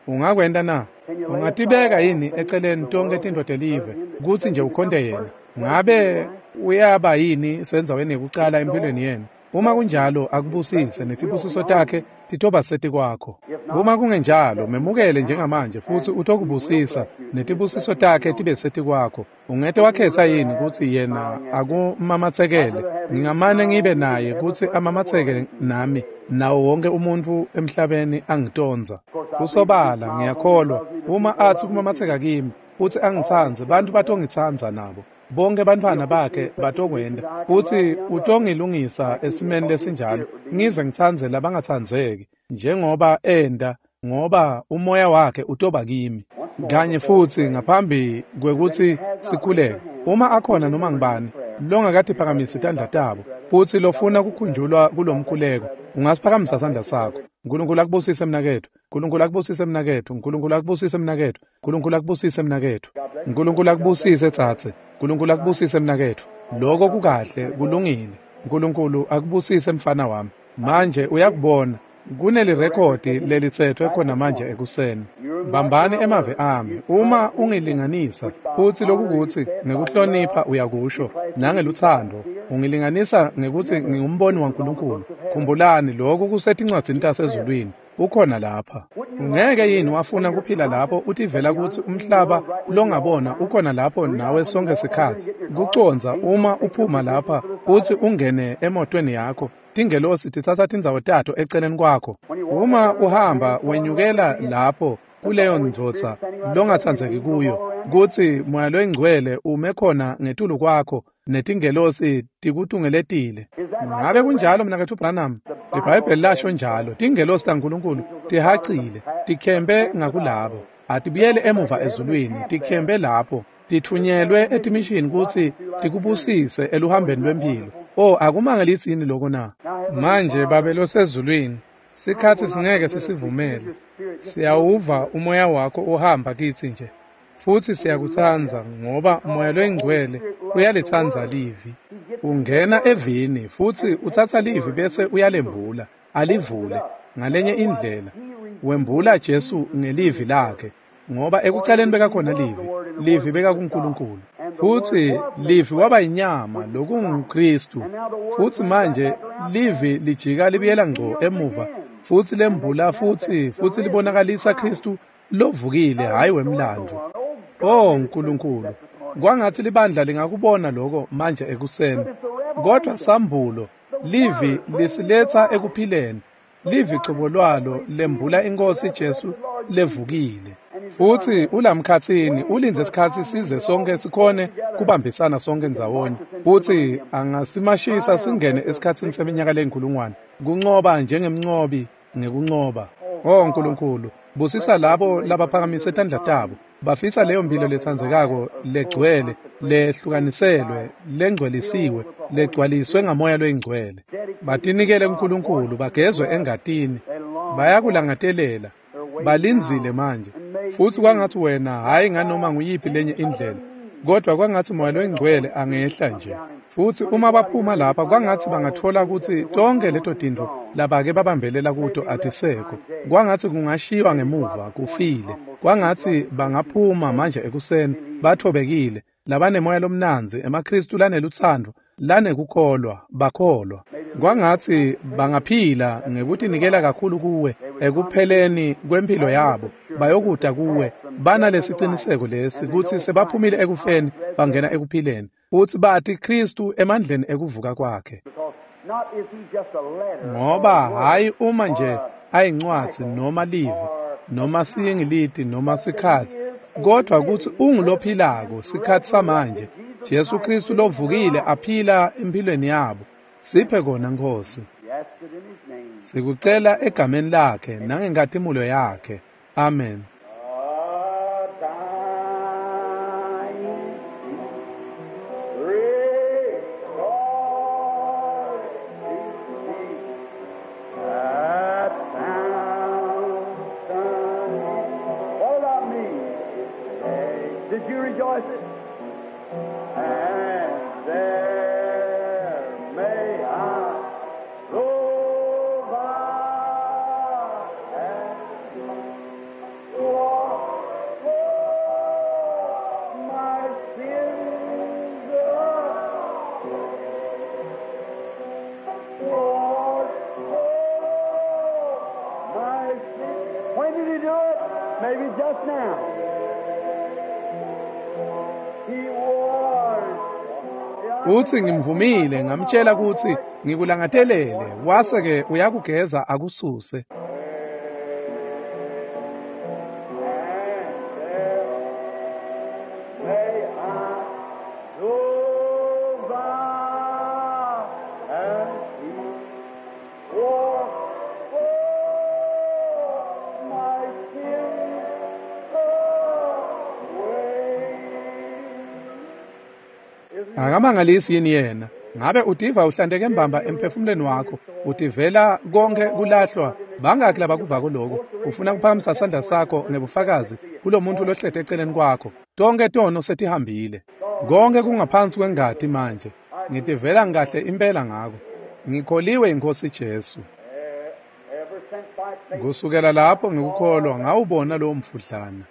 Ungakwenta na? Ungatibeka yini eceleni tonkhe tintfo telive kutsi nje ukhonte yena? Ngabe uyaba yini sendzaweni yekucala empilweni yenu? Uma kunjalo, akubusise netibusiso takhe titoba setikwakho. Uma kungenjalo, memukele njengamanje futsi utokubusisa netibusiso takhe tibe setikwakho. Ungete wakhetsa yini kutsi yena akumamatsekele? Ngingamane ngibe naye kutsi amamatseke nami, nawo wonke umuntfu emhlabeni angitondza. Kusobala ngiyakholwa, uma atsi kumamatseka kimi futsi angitsandze, bantfu batongitsandza nabo. Bonke bantfwana bakhe batokwenda, futsi utongilungisa esimeni lesinjalo, ngize ngitsandze labangatsandzeki njengoba enda, ngoba umoya wakhe utoba kimi. Kanye futsi ngaphambi kwekutsi sikhuleke, uma akhona noma ngibani longakatiphakamisi tandla tabo futsi lofuna kukhunjulwa kulomkhuleko, ungasiphakamisa sandla sakho. Nkulunkulu akubusise mnaketfu, Nkulunkulu akubusise mnaketfu, Nkulunkulu akubusise mnaketfu, Nkulunkulu akubusise mnaketfu, Nkulunkulu akubusise tsatse, Nkulunkulu akubusise mnaketfu. Lokho kukahle, kulungile. Nkulunkulu akubusise mfana wami. Manje uyakubona, kunelirekhodi lelitsetfwe khona manje ekuseni. Bambani emave ami, uma ungilinganisa, futsi lokukutsi ngekuhlonipha uyakusho, nangelutsandvo, ungilinganisa ngekutsi ngingumboni waNkulunkulu. Khumbulani, lokhu kusetincwadzini tasezulwini, ukhona lapha. Ungeke yini wafuna kuphila lapho utivela kutsi umhlaba longabona ukhona lapho nawe sonke sikhatsi? Kucondza uma uphuma lapha utsi ungene emotweni yakho, tingelosi titsatsa tindzawo tato eceleni kwakho. Uma uhamba wenyukela lapho kuleyo ndvodza longatsandzeki kuyo, kutsi Moya loyiNgcwele ume khona ngetulu kwakho netingelosi tikutungeletile. Ngabe kunjalo mnaketfu Branham? IBhayibheli lasho njalo. Tingelosi taNkulunkulu tihacile, tikhempe ngakulabo. Atibuyele emuva ezulwini, tikhempe lapho, titfunyelwe etimishini kutsi tikubusise eluhambeni lwemphilo. Oh, akumangalisi yini lokho na? Manje Babe losezulwini, sikhatsi singeke sisivumele. Siyawuva umoya wakho uhamba kitsi nje. Futsi siyakutsandza ngoba Moya loyiNgcwele uyalitsandza livi. Ungena evini futsi utsatsa livi bese uyalembula, alivule ngalenye indlela. Wembula Jesu ngelivi lakhe, ngoba ekucaleni bekakhona livi, livi bekakuNkulunkulu. Futsi livi waba yinyama, lokunguKristu. Futsi manje livi lijika libuyela ngco emuva, futsi lembula futsi libonakalisa Kristu lovukile, hhayi wemlandvo. Oh Nkulunkulu, kwangatsi libandla lingakubona lokho manje ekuseni. Kodwa sambulo, livi lisiletsa ekuphileni. Livi cobo lwalo lembula iNkhosi Jesu levukile. Futsi ulamkhatsini ulindze sikhatsi size sonke sikhone kubambisana sonke ndzawonye. Futsi angasimashisa singene esikhatsini seminyaka leyinkulungwane, kuncoba njengemncobi ngekuncoba. Oh Nkulunkulu, busisa labo labaphakamise tandla tabo, bafisa leyo mphilo letsandzekako, legcwele, lehlukaniselwe, lengcwelisiwe, legcwaliswe ngamoya loyingcwele. Batinikele kuNkulunkulu, bagezwe engatini, bayakulangatelela, balindzile manje. Futsi kwangatsi wena, hhayi nganoma nguyiphi lenye indlela, kodwa kwangatsi Moya loyiNgcwele angehla nje. Futsi uma baphuma lapha, kwangatsi bangatfola kutsi tonkhe leto tintfo labake babambelela kuto atisekho. Kwangatsi kungashiywa ngemuva, kufile. Kwangatsi bangaphuma manje ekuseni batfobekile, labanemoya lomnandzi, emaKristu lanelutsandvo, lanekukholwa, bakholwa. Kwangatsi bangaphila ngekutinikela kakhulu kuwe ekupheleni kwemphilo yabo, bayokuta kuwe banalesiciniseko lesi kutsi sebaphumile ekufeni bangena ekuphileni, futsi bati Kristu emandleni ekuvuka kwakhe. Ngoba hhayi uma nje ayincwadzi noma livi noma siyingiliti noma sikhatsi, kodwa kutsi ungulophilako sikhatsi samanje, Jesu Kristu lovukile aphila empilweni yabo. Siphe kona Nkosi. Sikucela egameni lakhe nangenkhatimulo yakhe. Amen. Did you rejoice it? And there may I provide and walk for my sins away. Lord, for my sins. When did he do it? Maybe just now. He was. Uthi ngimvumile ngamtshela ukuthi ngikulangadelele wase ke uyakugeza akususe. And there may I go by and see for my sins away. Isn't Akamangalisi yini yena? Ngabe utiva uhlanteke mbamba emphefumulweni wakho, utivela konke kulahlwa, bangaki labakuvako lokho? Ufuna kuphakamisa sandla sakho ngebufakazi kulomuntu lohlete eceleni kwakho. Tonke tono setihambile. Konke kungaphansi kwengati manje. Ngitivela ngikahle impela ngako. Ngikholiwe inkosi Jesu. ever since by faith Kusukela lapho ngikukholwa ngawubona lowo mfudlana.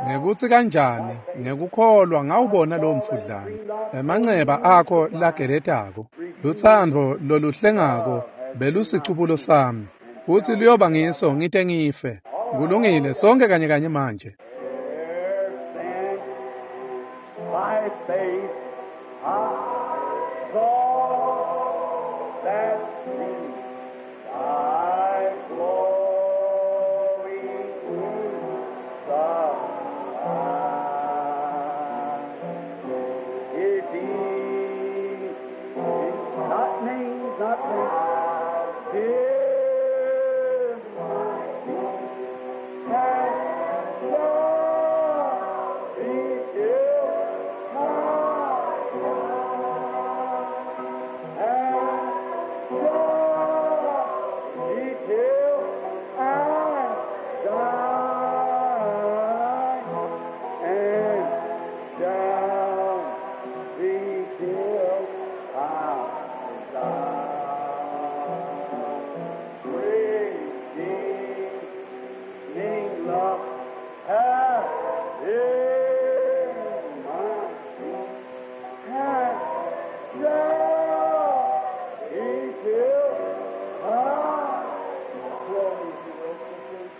Ngekuthi kanjani ngekukholwa ngawubona lowo mfudlana. Emanceba akho lageletako, lutsandvo loluhlengako belusicubulo sami. Futhi luyoba ngiso ngite ngife. Kulungile sonke kanye kanye manje. ever since by faith I saw that sea thy glory crucified. It is not names, not names, dear my Redeeming love hath in my hath shall be till I glory to your sisters.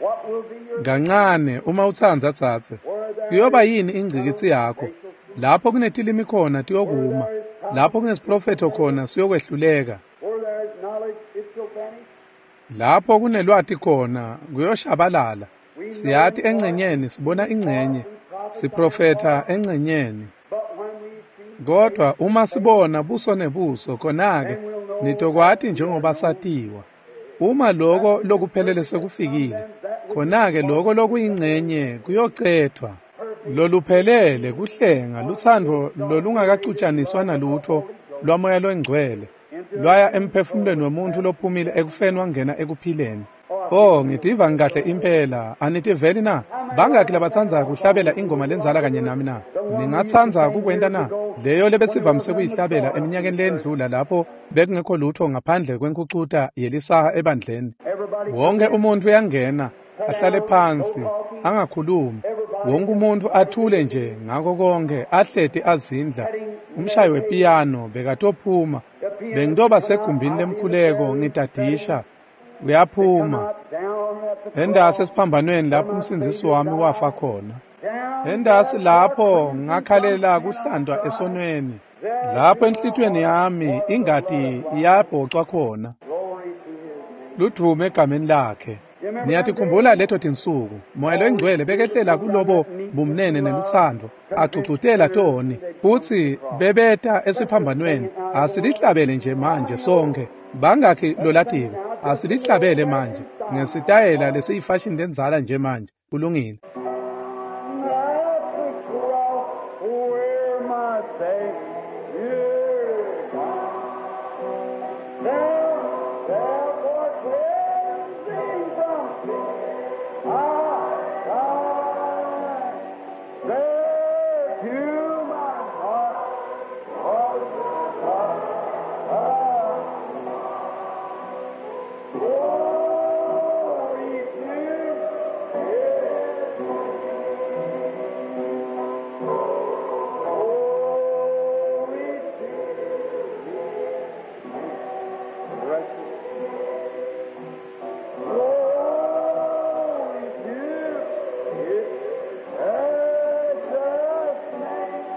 What will be your Kancane uma utsandza tsatse. where there Kuyoba is yini ingcikitsi yakho? Lapho kunetilimi khona tiyokuma. Lapho kunesiprofetho khona siyokwehluleka. where there is knowledge it shall vanish? Lapho kunelwati khona kuyoshabalala. We know Siyati in part, engcenyeni sibona ingcenye, siprofetha engcenyeni. but when we see Kodwa uma sibona buso nebuso khona-ke nitokwati njengoba satiwa. Uma lokho lokuphelele sekufikile, khona-ke lokho lokuyingcenye kuyocethwa. Loluphelele kuhlenga lutsandvo lolungakacutshaniswa nalutho lwamoya longcwele lwaya emphefumulweni wemuntfu lophumile ekufeni wangena ekuphileni. Oh, ngitiva ngikahle impela. Anitiveli na? Bangaki labatsandza kuhlabela ingoma lenzala kanye nami na? Ningatsandza kukwenta na? Leyo lebesivamise kuyihlabela eminyakeni lendlula lapho bekungekho lutho ngaphandle kwenkhucuta yelisaha ebandleni. everybody Wonke umuntu uyangena, ahlale phansi, angakhulumi. Wonke umuntu athule nje ngako konke, ahleti azindla. Umshayi wepiyano bekatophuma. Bengitoba segumbini lemkhuleko ngidadisha. Uyaphuma. out down at the Endasi esiphambanweni lapho umsindzisi wami wafa khona. down Endasi lapho ngakhalela kuhlandwa esonweni. Lapho enhlitiyweni yami ingati yabhocwa khona. glory to his name. Ludvume egameni lakhe. Niyatikhumbula leto tinsuku, Moya loyiNgcwele bekehlela kulobo bumnene nelutsandvo, agcugcutela toni, futsi bebeta esiphambanweni. Asilihlabele nje manje sonkhe. Bangakhi lolatiko? Asilihlabele manje ngesitayela lesiyifashini lendzala nje manje. Kulungile. At the cross where my Savior died. There, therefore, cleansing from sin I died. There to my heart was glory to His Glory to His precious Glory to His precious name.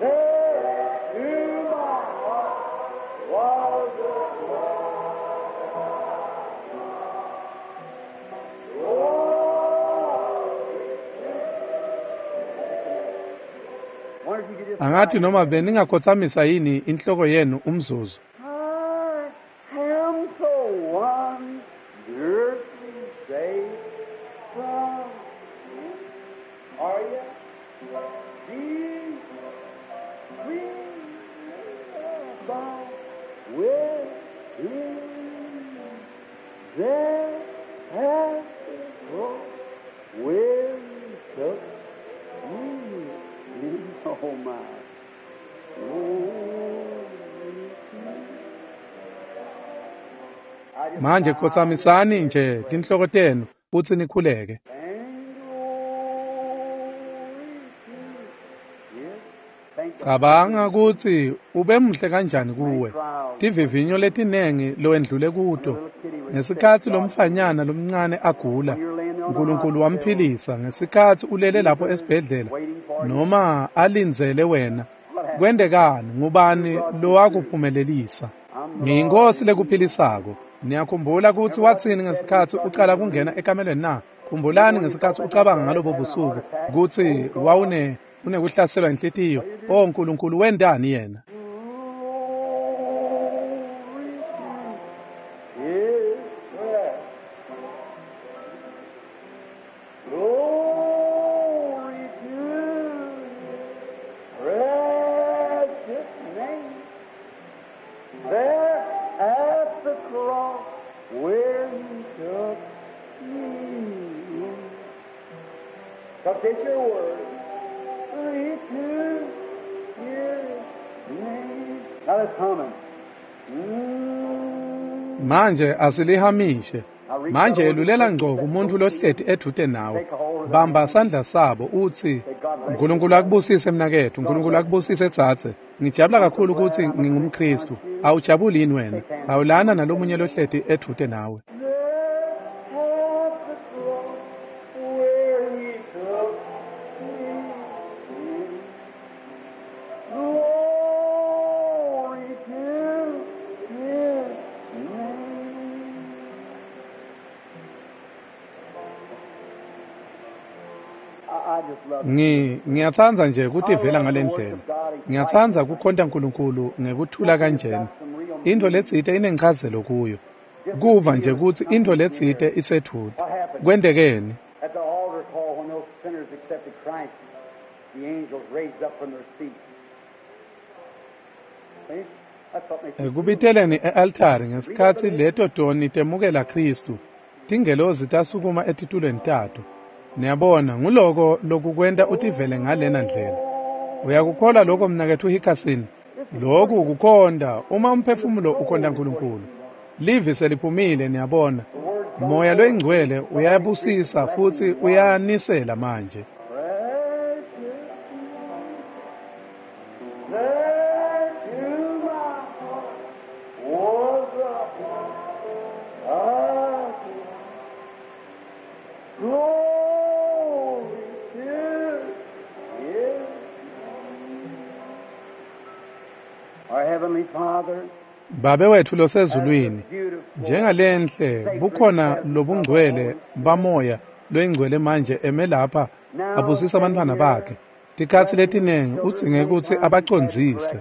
There to my heart was a Glory. Angathi noma beningakhothamisa yini inhloko yenu umzuzu. I am so wonderfully saved from sin. Are you? Jesus, we abide with Him. There at the cross where He took me in. Oh my. Glory to Manje khotsamisani nje tinhloko tenu futsi nikhuleke. And glory to His. Thank God. Cabanga kutsi ube muhle kanjani kuwe. Tivivinyo letinengi lowendlule kuto. Ngesikhatsi lomfanyana lomncane agula, uNkulunkulu wamphilisa. Ngesikhatsi ulele lapho esibhedlela noma alindzele wena. Kwentekani? Ngubani lowakuphumelelisa? Ngiyinkosi lekuphilisako. Niyakhumbula kutsi watsini ngesikhatsi ucala kungena ekamelweni na? Khumbulani ngesikhatsi ucabanga ngalobo busuku kutsi wawune unekuhlaselwa inhlitiyo. O Nkulunkulu, wentani yena? Glory to His precious name. There at the cross where He took me in. But it's your word. Glory to His name. Now let's hum it. Mm. Manje asilihamishe. Manje yelulela ngco kumuntu lohleti edvute nawe. Bamba sandla sabo utsi, uNkulunkulu akubusise mnaketfu, uNkulunkulu akubusise dzadze. Ngijabula kakhulu kutsi ngingumKhristu. Awujabuli yini wena? Awulana nalomunye lohleti edvute nawe. There at the cross where He took me in. Glory to His name. I just love Ngiyatsandza nje kutivela ngale ndlela. Ngiyatsandza kukhonta uNkulunkulu ngekuthula kanjena. Intfo letsite inenchazelo kuyo. Kuva nje kutsi intfo letsite isedvute. Kwentekeni? At the altar call, when those sinners accepted Christ, the angels raised up from their seats. See? That's what makes Ekubiteleni e-altari ngesikhatsi leto toni temukela Khristu, tingelozi tasukuma etitulweni tato. Niyabona, nguloko lokukwenta utivele ngalena ndlela. Uyakukholwa lokho mnaketfu Hickerson? Lokhu kukhonta uma umphefumulo ukhonta uNkulunkulu. Livi seliphumile, niyabona. Moya loyingcwele uyabusisa futsi uyanisela manje. Precious, there to my heart was a glory to His name. Our Heavenly Father, Babe wethu losezulwini, beautiful Njengalenhle bukhona lobungcwele bamoya loyingcwele manje eme lapha abusisa abantwana bakhe. Tikhatsi letiningi udzinge kutsi abacondzise,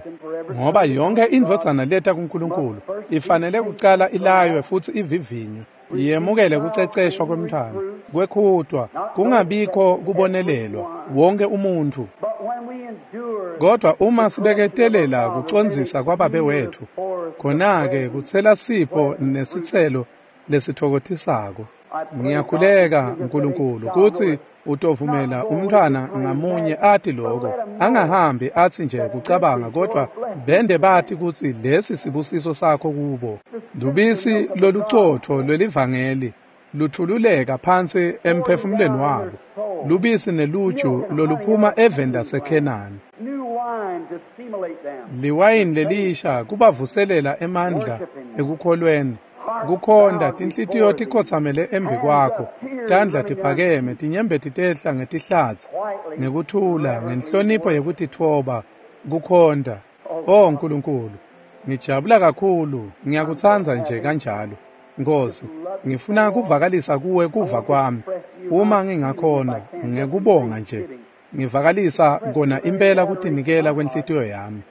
ngoba yonke indvodzana leta kuNkulunkulu ifanele kucala ilaywe futsi ivivinywe, yemukele kuceceshwa kwemntfwana, kwekhutwa, kungabikho kubonelelwa wonke umuntfu. Kodwa uma sibeketelela kucondzisa kwababe wetfu, khona-ke kutsela sipho nesitselo lesithokotisako. Ngiyakhuleka Nkulunkulu kutsi utovumela umntfwana ngamunye ati lokho, angahambi atsi nje kucabanga, kodwa bende bati kutsi lesi sibusiso sakho kubo. Lubisi lolucotfo lwelivangeli luthululeka phansi emphefumulweni wabo, lubisi neluju loluphuma eveni laseKhenani. Liwayini lelisha kubavuselela emandla ekukholweni, kukhonda tinhlitiyo tikhotsamele embi kwakho, tandla tiphakeme, tinyembeti tehla ngetihlatsi, ngekuthula, ngenhlonipho yekutitfoba, kukhonda. O Nkulunkulu, ngijabula kakhulu, ngiyakutsandza nje kanjalo. Nkosi, ngifuna kuvakalisa kuwe kuva kwami, uma ngingakhona, ngekubonga nje, ngivakalisa kona impela kutinikela kwenhlitiyo yami,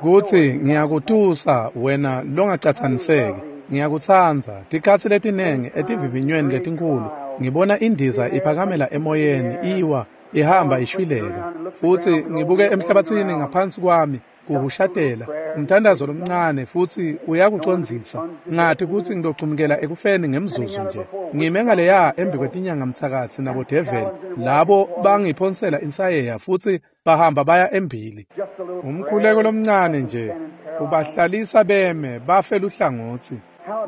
kutsi ngiyakutusa wena longacatsaniseki. Ngiyakutsandza. Tikhatsi letinengi etivivinyweni letinkhulu ngibona indiza iphakamela emoyeni, iwa, ihamba ishwileka, futsi ngibuke emhlabatsini ngaphansi kwami kuhushatela umthandazo lomncane, futsi uyakucondzisa. Ngathi kutsi ngitocumukela ekufeni ngemzuzu nje. Ngime ngaleya embi kwetinyanga mtsakatsi nabodeveli, labo bangiphonsela insayeya futsi bahamba baya embili. Umkhuleko lomncane nje ubahlalisa beme bafe luhlangotsi.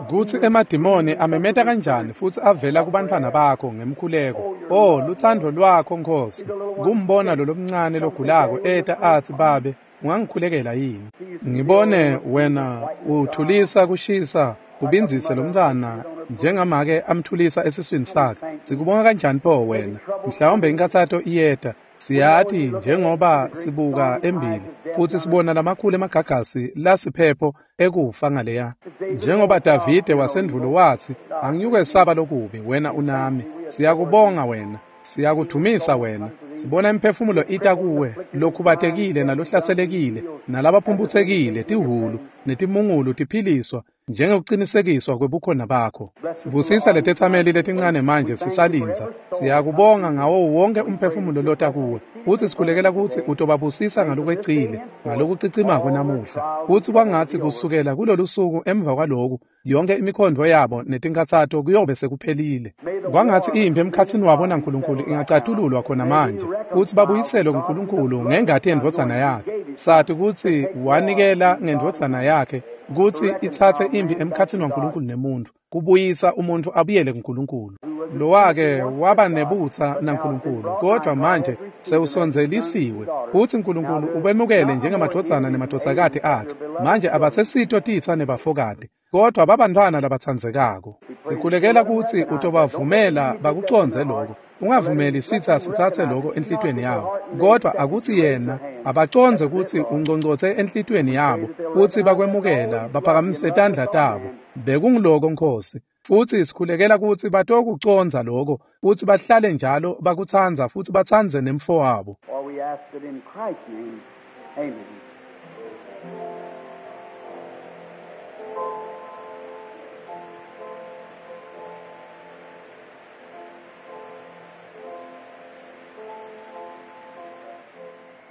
Kutsi emadimoni amemeta kanjani futsi avela kubantfwana bakho ngemkhuleko. Oh, lutsandvo lwakho Nkosi, kumbona lo lomncane logulako eta atsi, Babe, ungangikhulekela yini? Ngibone wena uthulisa kushisa, ubindzise lomntfwana njengamake amthulisa esiswini sakhe. Sikubonga kanjani pho wena? Mhlawumbe inkathato iyeta. Siyati njengoba sibuka embili futsi sibona lamakhulu emagagasi lasiphepho ekufa ngaleya. Njengoba Davide wasendvulo watsi, angiyukwesaba lokubi, wena unami. Siyakubonga wena, siyakudumisa wena. Sibona imiphefumulo ita kuwe, lokhubatekile nalohlatselekile, nalabaphumphutsekile, tihhulu netimungulu tiphiliswa njengekucinisekiswa kwebukhona bakho. Sibusisa letetsameli letincane manje sisalindza. Siyakubonga ngawo wonke umphefumulo lota kuwe, futsi sikhulekela kutsi utobabusisa ngalokwecile, ngalokucicimako namuhla. Futsi kwangatsi kusukela kulolu suku emva kwaloku, yonke imikhondvo yabo netinkhatsato kuyobe sekuphelile. Kwangatsi imphi emkhatsini wabo naNkulunkulu ingacatululwa khona manje, kutsi babuyiselwe kuNkulunkulu ngengati yendvodzana yakhe. Sati kutsi wanikela ngendvodzana yakhe kutsi itsatse imphi emkhatsini waNkulunkulu nemuntfu, kubuyisa umuntfu abuyele kuNkulunkulu. Lowake waba nebutsa naNkulunkulu, kodwa manje sewusondzelisiwe, kutsi Nkulunkulu ubemukele njengemadvodzana nemadvodzakati akhe. Manje abasesito titsa nebafokati, kodwa babantfwana labatsandzekako. Sikhulekela kutsi utobavumela bakucondze lokho. Ungavumeli sitsa sitsatse lokho enhlitiyweni yabo, kodwa akutsi yena abacondze kutsi ungcongcotse enhlitiyweni yabo, kutsi bakwemukela baphakamise tandla tabo. Bekungiloko Nkosi, futsi sikhulekela kutsi batokucondza lokho, futsi bahlale njalo bakutsandza futsi batsandze nemfo wabo.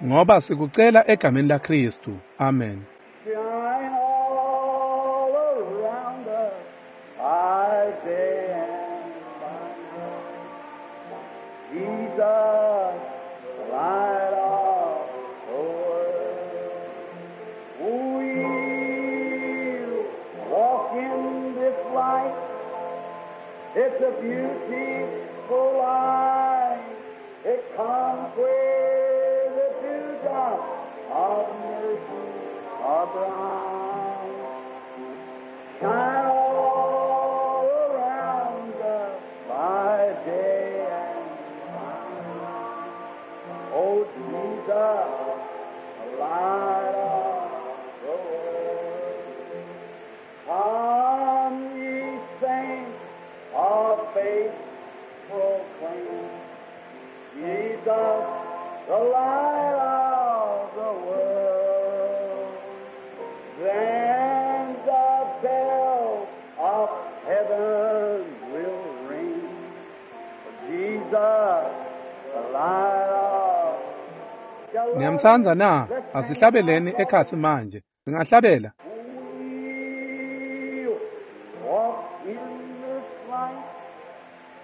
Ngoba sikucela egameni laKristu. Amen. Shine all around us, by day and by night. Jesus, light of the world. We'll walk in this light. It's a beautiful light. It comes where the dewdrops of mercy are bright. Shine all around us by day and by night. Oh, Jesus, the light of the world. Come ye faith proclaim. Jesus, the light of the world. Then the bell of heaven will ring. Jesus, the light of the Niyamtsandza na? Asihlabeleni ekhatsi manje. Singahlabela. We'll walk in this light.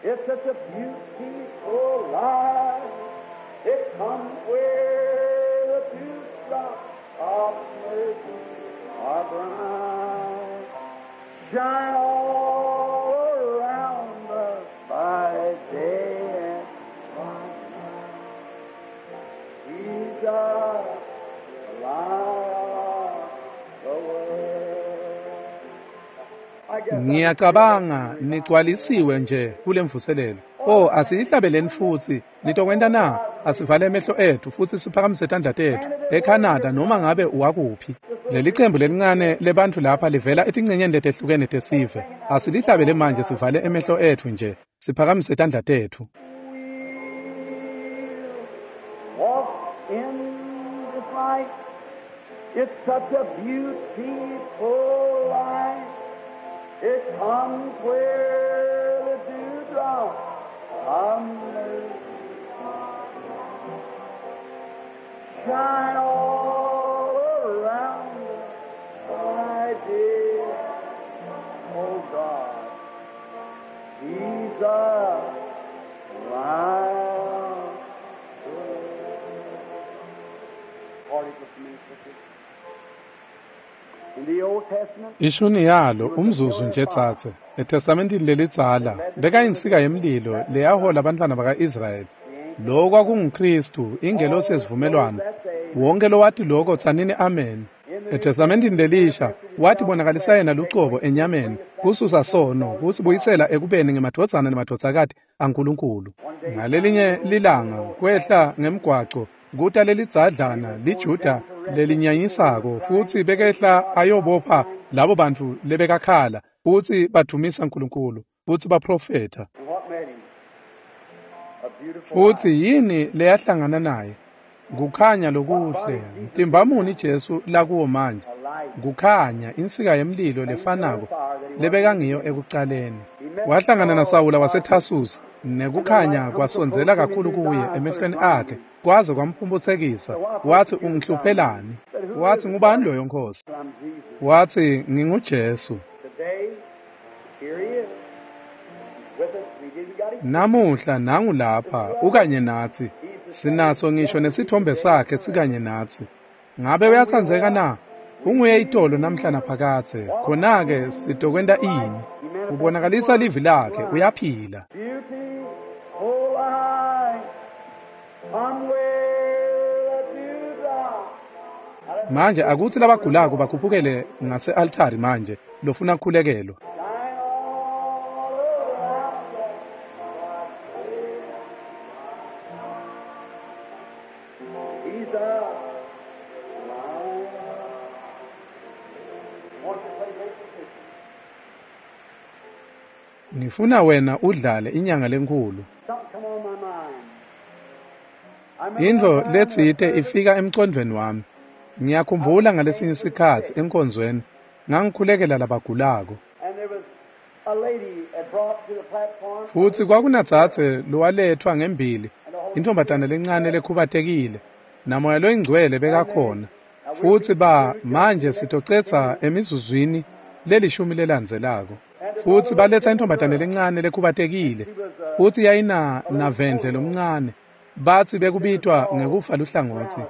It's such a beautiful light. It comes where the dewdrops of mercy are bright. Shine all around us by day and by night. Jesus, the light of the world. I guess Ngiyacabanga nigcwalisiwe nje kulemvuselelo. Oh, asiyihlabeleni futsi. Nitokwenta na? Asivale emehlo ethu futsi siphakamise tandla tethu. ECanada noma ngabe uwakuphi. Leli cembu lelincane lebantfu lapha livela etincenyeni letehlukene tesive. Asilihlabele manje sivale emehlo ethu nje. Siphakamise tandla tethu. Walk in this light. It's such a beautiful light. It comes where the dewdrops of mercy shine all around us, my dear. Oh God, Jesus, light. Party just a minute, sister. In the Old Testament, Ishuni yalo umzuzu nje tsatse. ETestamentini lelidzala bekayinsika yemlilo leyahola abantwana baka-Israyeli. Lo kwakunguKristu, ingelosi yesivumelwano. Wonke lowati lokho tsanini amen. ETestamentini lelisha watibonakalisa yena lucobo enyameni, kususa sono, kusibuyisela ekubeni ngemadvodzana nemadvodzakati aNkulunkulu. Ngalelinye lilanga kwehla ngemgwaco kuta lelidzadlana liJuda lelinyanyisako futsi bekehla ayobopha labo bantfu lebekakhala futsi badvumisa Nkulunkulu futsi baprofetha. and what met him? A beautiful Futsi light. yini leyahlangana naye? Kukhanya lokuhle. Mtimba muni Jesu lakuwo manje? A light. Kukhanya insika yemlilo lefanako lebekangiyo ekucaleni. Wahlangana naSawula waseThasusi nekukhanya kwasondzela kakhulu kuye emehlweni akhe kwaze kwamphumphutsekisa. Wathi ungihluphelani? Wathi ngubani loyo Nkosi? I'm Jesus. Wathi nginguJesu. Today, here he is. He's with us. We didn't got him. Namuhla nangu lapha ukanye nathi. Sinaso ngisho nesithombe sakhe sikanye nathi. Ngabe uyatsandzeka na? Unguye itolo namhla naphakathe. Khona-ke sitokwenta ini? Ubonakalisa livi lakhe uyaphila. Beautiful light. Come where the dewdrops Manje akuthi labagulako bakhuphukele ngase-altari manje lofuna kukhulekelwa. shine all around us. He's a light. Want to play great position. Ngifuna wena udlale inyanga lenkulu. Something come on my mind. I remember Intfo one time in a letsite service, ifika emcondvweni wami. Ngiyakhumbula ngalesinye isikhatsi enkonzweni ngangikhulekela labagulako. and there was a lady had brought to the platform. Futsi kwakunadzadze lowaletfwa ngembili, intfombatana lencane lekhubatekile, namoya loyingcwele bekakhona. Futsi ba manje sitocetsa emizuzwini lelishumi lelandzelako. Futsi baletsa intfombatane lencane lekhubatekile, futsi yayina navendle lomncane. Batsi bekubitwa ngekufa luhlangotsi,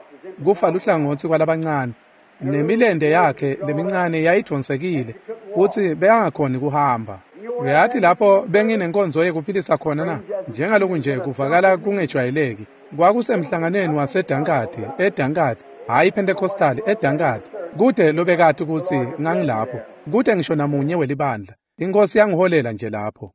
kufa luhlangotsi kwalabancane. Nemilente yakhe lemincane yayidvonsekile, futsi bekangakhoni kuhamba. Uyati lapho benginenkonzo yekuphilisa khona na? Njengaloku nje kuvakala kungejwayeleki. Kwakusemhlanganweni waseDankadi, eDankadi, hhayi Pentecostal, eDankadi. Kude lobekati kutsi ngangilapho. Kude ngisho namunye welibandla. Inkosi yangiholela nje lapho.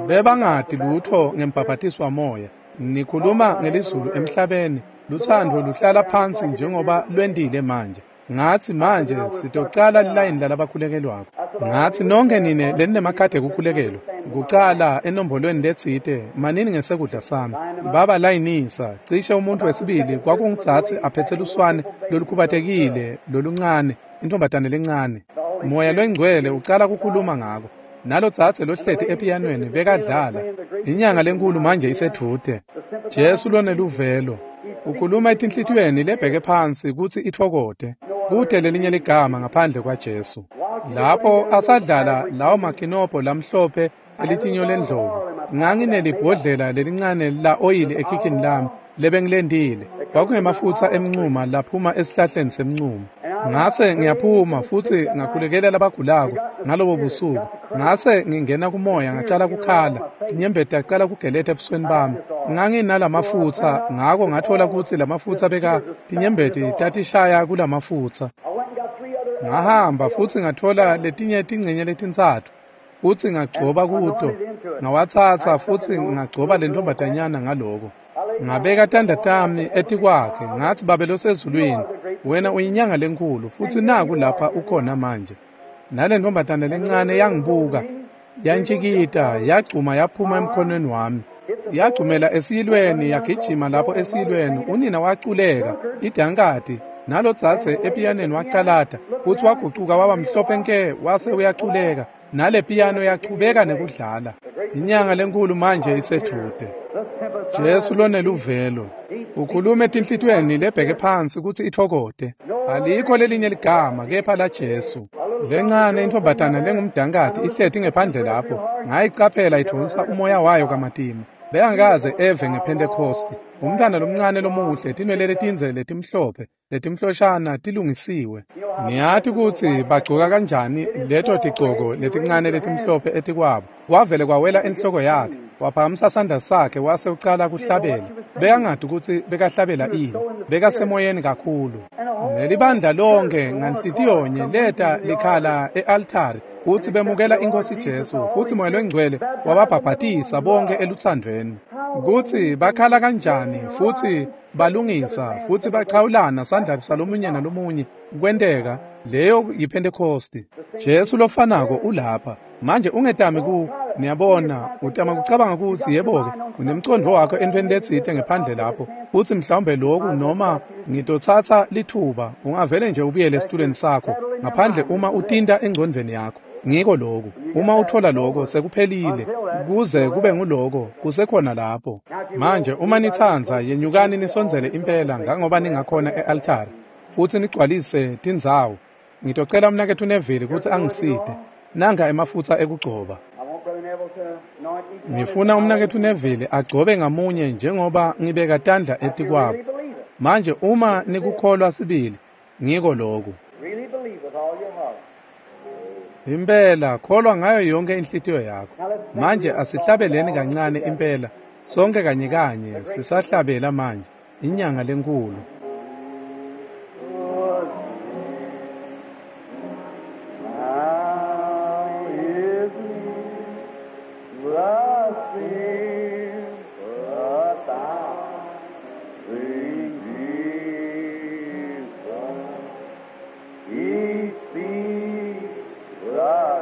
Bebangati lutho ngembhabhatiso wamoya. Nikhuluma ngelizulu emhlabeni. Luthando luhlala phansi njengoba lwentile manje. Ngatsi manje sitocala lilayini lalabakhulekelwako. Ngatsi nonke nine leninemakhadi ekukhulekelwa kucala enombolweni letsite manini ngesekudla sami. Babalayinisa cishe umuntu wesibili kwakungitsatsi aphetse luswane lolukhubatekile loluncane, intombatane lencane. Moya lwengcwele ucala kukhuluma ngako. Nalotsatse lohleti epiyanweni bekadlala. Inyanga lenkulu manje isedvute. Jesu loneluvelo ukhuluma etinhlitiyweni lebheke phansi kutsi itfokote. Kute lelinye ligama ngaphandle kwaJesu. Lapho asadlala lawo makinobho lamhlophe elitinyo lendlovu, nganginelibhodlela lelincane la oyili ekhikhini lami lebengilendile. Kwakungemafutsa emncuma laphuma esihlahleni semncumo. Ngase ngiyaphuma futsi ngakhulekela labagulako ngalobo busuku. Ngase ngingena kumoya ngacala kukhala, tinyembeti tacala kugeleta ebusweni bami. Nganginalamafutsa, ngako ngathola kutsi lamafutsa beka tinyembeti tatishaya kulamafutsa. Ngahamba futsi ngathola letinye tingcenye letintsatfu futsi ngagcoba kuto. Ngawatsatsa futsi ngagcoba lentombatanyana ngaloko. Ngabeka tandla tami etikwakhe ngatsi, Babe losezulwini, wena uyinyanga lenkulu futsi naku lapha ukhona manje. Nalentombatana lencane yangibuka, yantshikita, yagcuma yaphuma emkhonweni wami. Yagcumela esiyilweni, yagijima lapho esiyilweni. Unina waculeka idankati, nalotsatse epiyaneni wacalata futsi wagucuka waba mhlophe nke wase uyaculeka. Nale piyano yachubeka nekudlala. Inyanga lenkulu manje isedvute. Jesu loneluvelo ukhuluma etinhlitiyweni lebheke phansi kutsi itfokote. Alikho lelinye ligama kepha la Jesu. Lencane intombatana lengumdankati ihleti ngephandle lapho. Ngayicaphela idvonsa umoya wayo kamatima. Bekangakaze eve ngePhentekhosti. Umntwana lomncane lomuhle, tinwele letindze letimhlophe, letimhloshana tilungisiwe. Ngiyati kutsi bagcoka kanjani leto tigcoko letincane letimhlophe etikwabo. Kwavele kwawela enhloko yakhe. Waphakamisa sandla sakhe wase ucala kuhlabela. Bekangati kutsi bekahlabela ini. Bekasemoyeni kakhulu. Nelibandla lonke nganhlitiyonye leta likhala e-altari kutsi bemukela iNkhosi Jesu, futsi Moya loNgcwele wababhabhatisa bonke elutsandvweni. Kutsi bakhala kanjani futsi balungisa futsi bachawulana sandla salomunye nalomunye kwenteka. Leyo yiPhentekhosti. Jesu lofanako ulapha manje. Ungetami ku niyabona, utama kucabanga kutsi yebo-ke unemcondvo wakho entweni letsite ngephandle lapho, futsi mhlawumbe loku noma ngitotsatsa lithuba. Ungavele nje ubuyele esitulweni sakho ngaphandle uma utinta engcondvweni yakho. Ngiko loku. Uma uthola loko sekuphelile, kuze kube nguloko kusekhona lapho. Manje uma nitsandza, yenyukani nisondzele impela ngangoba ningakhona e-altari futsi nigcwalise tindzawo. Ngitocela umnaketfu Neville kutsi angisite. Nanga emafutsa ekugcoba. Ngifuna umnaketfu Neville agcobe ngamunye njengoba ngibeka tandla etikwabo. Manje uma nikukholwa sibili, ngiko loku. Impela kholwa ngayo yonke inhlitiyo yakho. Manje asihlabeleni kancane impela, sonke kanye kanye sisahlabela manje inyanga lenkulu. Now is the sympathizing Jesus. He sees the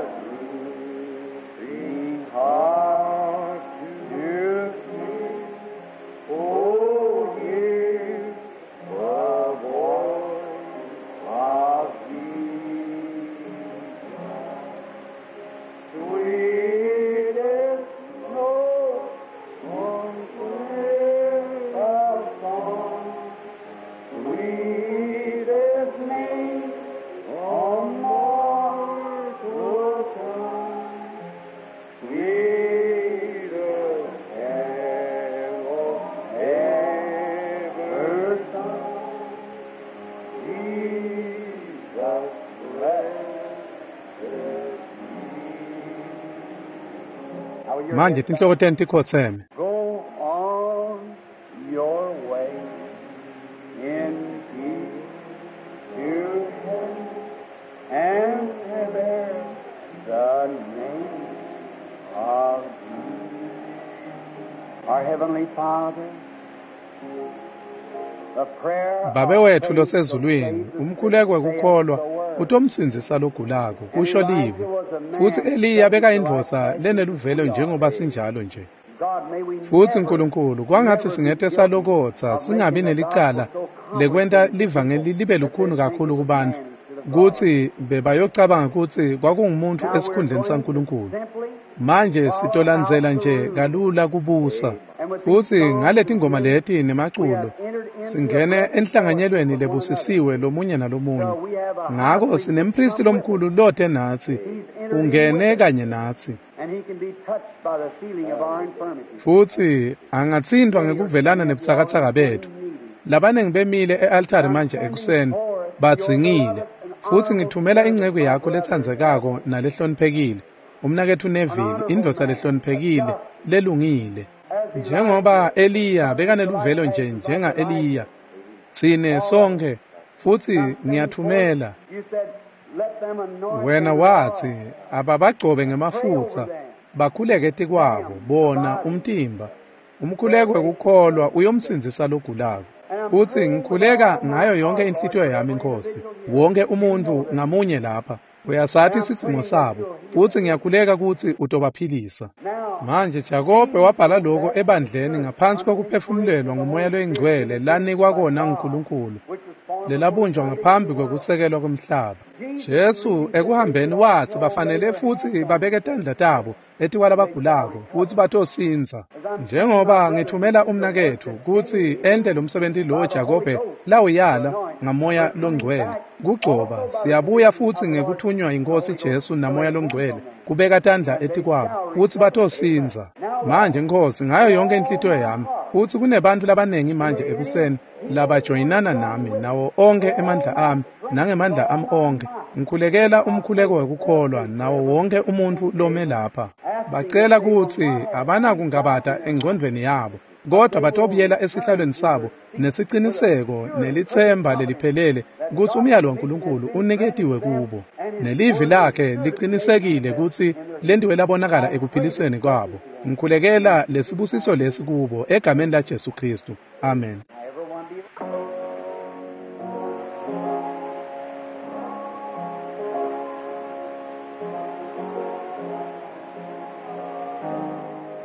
drooping heart to see. Oh, hear the voice of Jesus. Sweetest note on clear of song, sweetest name on mortal tongue, sweetest carol ever sung. Jesus, blessed be. Manje tinhloko tenu tikhotseme. Go on your way in peace to heaven and bear the name of Jesus. Our Heavenly Father, Babe wetfu losezulwini, umkhuleko wekukholwa utomsindzisa logulako, kusho livi. Futsi Eliya bekayindvodza leneluvelo njengoba sinjalo nje. Futsi Nkulunkulu, kwangatsi singete salokotsa singabi nelicala lekwenta livangeli libe lukhuni kakhulu kubantfu, kutsi bebayocabanga kutsi kwakungumuntfu esikhundleni saNkulunkulu. Manje sitolandzela nje kalula kubusa. Futsi ngaletingoma leti nemaculo singene enhlanganyelweni lebusisiwe lomunye nalomunye. Ngako sinempristi lomkhulu lote natsi, ungene kanye natsi. Futsi angatsintfwa ngekuvelana nebutsakatsaka betfu. Labanengi bemile e-altari manje ekuseni badzingile. Futsi ngithumela inceku yakho letsandzekako nalehloniphekile, umnaketfu Neville, indvodza lehloniphekile lelungile. Njengoba Eliya bekaneluvelo nje njenga Eliya, tsine sonkhe, futsi ngiyathumela. Wena watsi ababagcobe ngemafutsa, bakhuleke etikwabo, bona umtimba. Umkhuleko wekukholwa uyomsindzisa logulako. Futsi ngikhuleka ngayo yonke inhlitiyo yami, Nkosi, wonke umuntfu ngamunye lapha uyasati sidzingo sabo, futsi ngiyakhuleka kutsi utobaphilisa. Manje Jakobe wabhala lokho ebandleni ngaphansi kwekuphefumulelwa nguMoya loyiNgcwele lanikwa kona nguNkulunkulu, lelabunjwa ngaphambi kwekusekelwa kwemhlaba. Jesu ekuhambeni watsi bafanele futsi babeke tandla tabo etikwalabagulako futsi batosindza. Njengoba ngithumela umnaketfu kutsi ente lomsebenti lo Jakobe lawuyala ngaMoya loNgcwele kugcoba, siyabuya futsi ngekuthunywa yiNkhosi Jesu naMoya loNgcwele kubeka tandla etikwabo futsi batosindza. Manje Nkosi, ngayo yonke inhlitiyo yami, futsi kunebantfu labanengi manje ekuseni labajoyinana nami nawo onkhe emandla ami nangemandla ami onkhe. Ngikhulekela umkhuleko wekukholwa nawo wonke umuntfu lome lapha. Bacela kutsi abanakungabata engcondvweni yabo, kodwa batobuyela esihlalweni sabo nesiciniseko nelitsemba leliphelele kutsi umyalo waNkulunkulu uniketiwe kubo, nelivi lakhe licinisekile kutsi lentiwe labonakala ekuphiliseni kwabo. Ngikhulekela lesibusiso lesi kubo egameni la Jesu Kristu. Amen.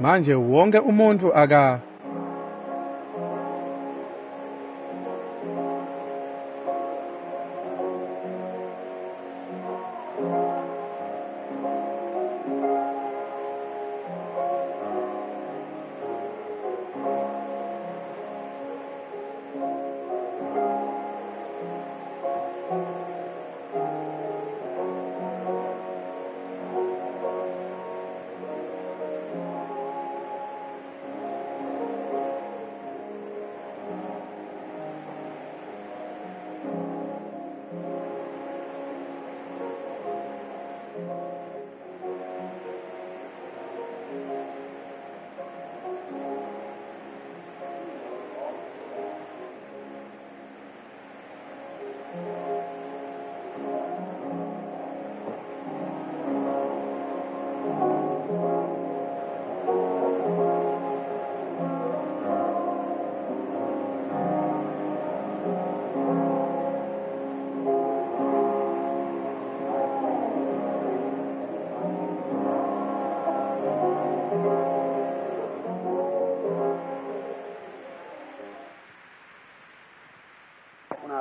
Manje wonke umuntfu aka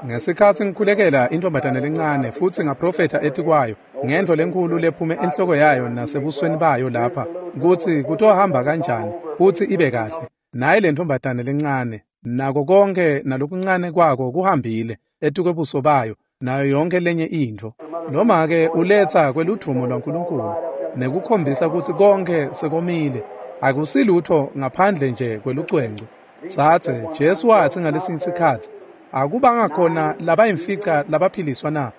Ngesikhatsi ngikhulekela intombazane lencane futsi ngaprofetha etikwayo ngento lenkulu lephume enhloko yayo nasebusweni bayo lapha kutsi kutohamba kanjani futsi ibe kahle. Naye le ntombazane lencane nako konke nalokuncane kwako kuhambile etikwebuso bayo nayo yonke lenye intfo. Noma-ke uletsa kweludvumo lwaNkulunkulu nekukhombisa kutsi konke sekomile, akusilutho ngaphandle nje kwelucwenco. Tsatse, Jesu watsi ngalesinye sikhatsi, akubanga khona labayimfica labaphiliswa na?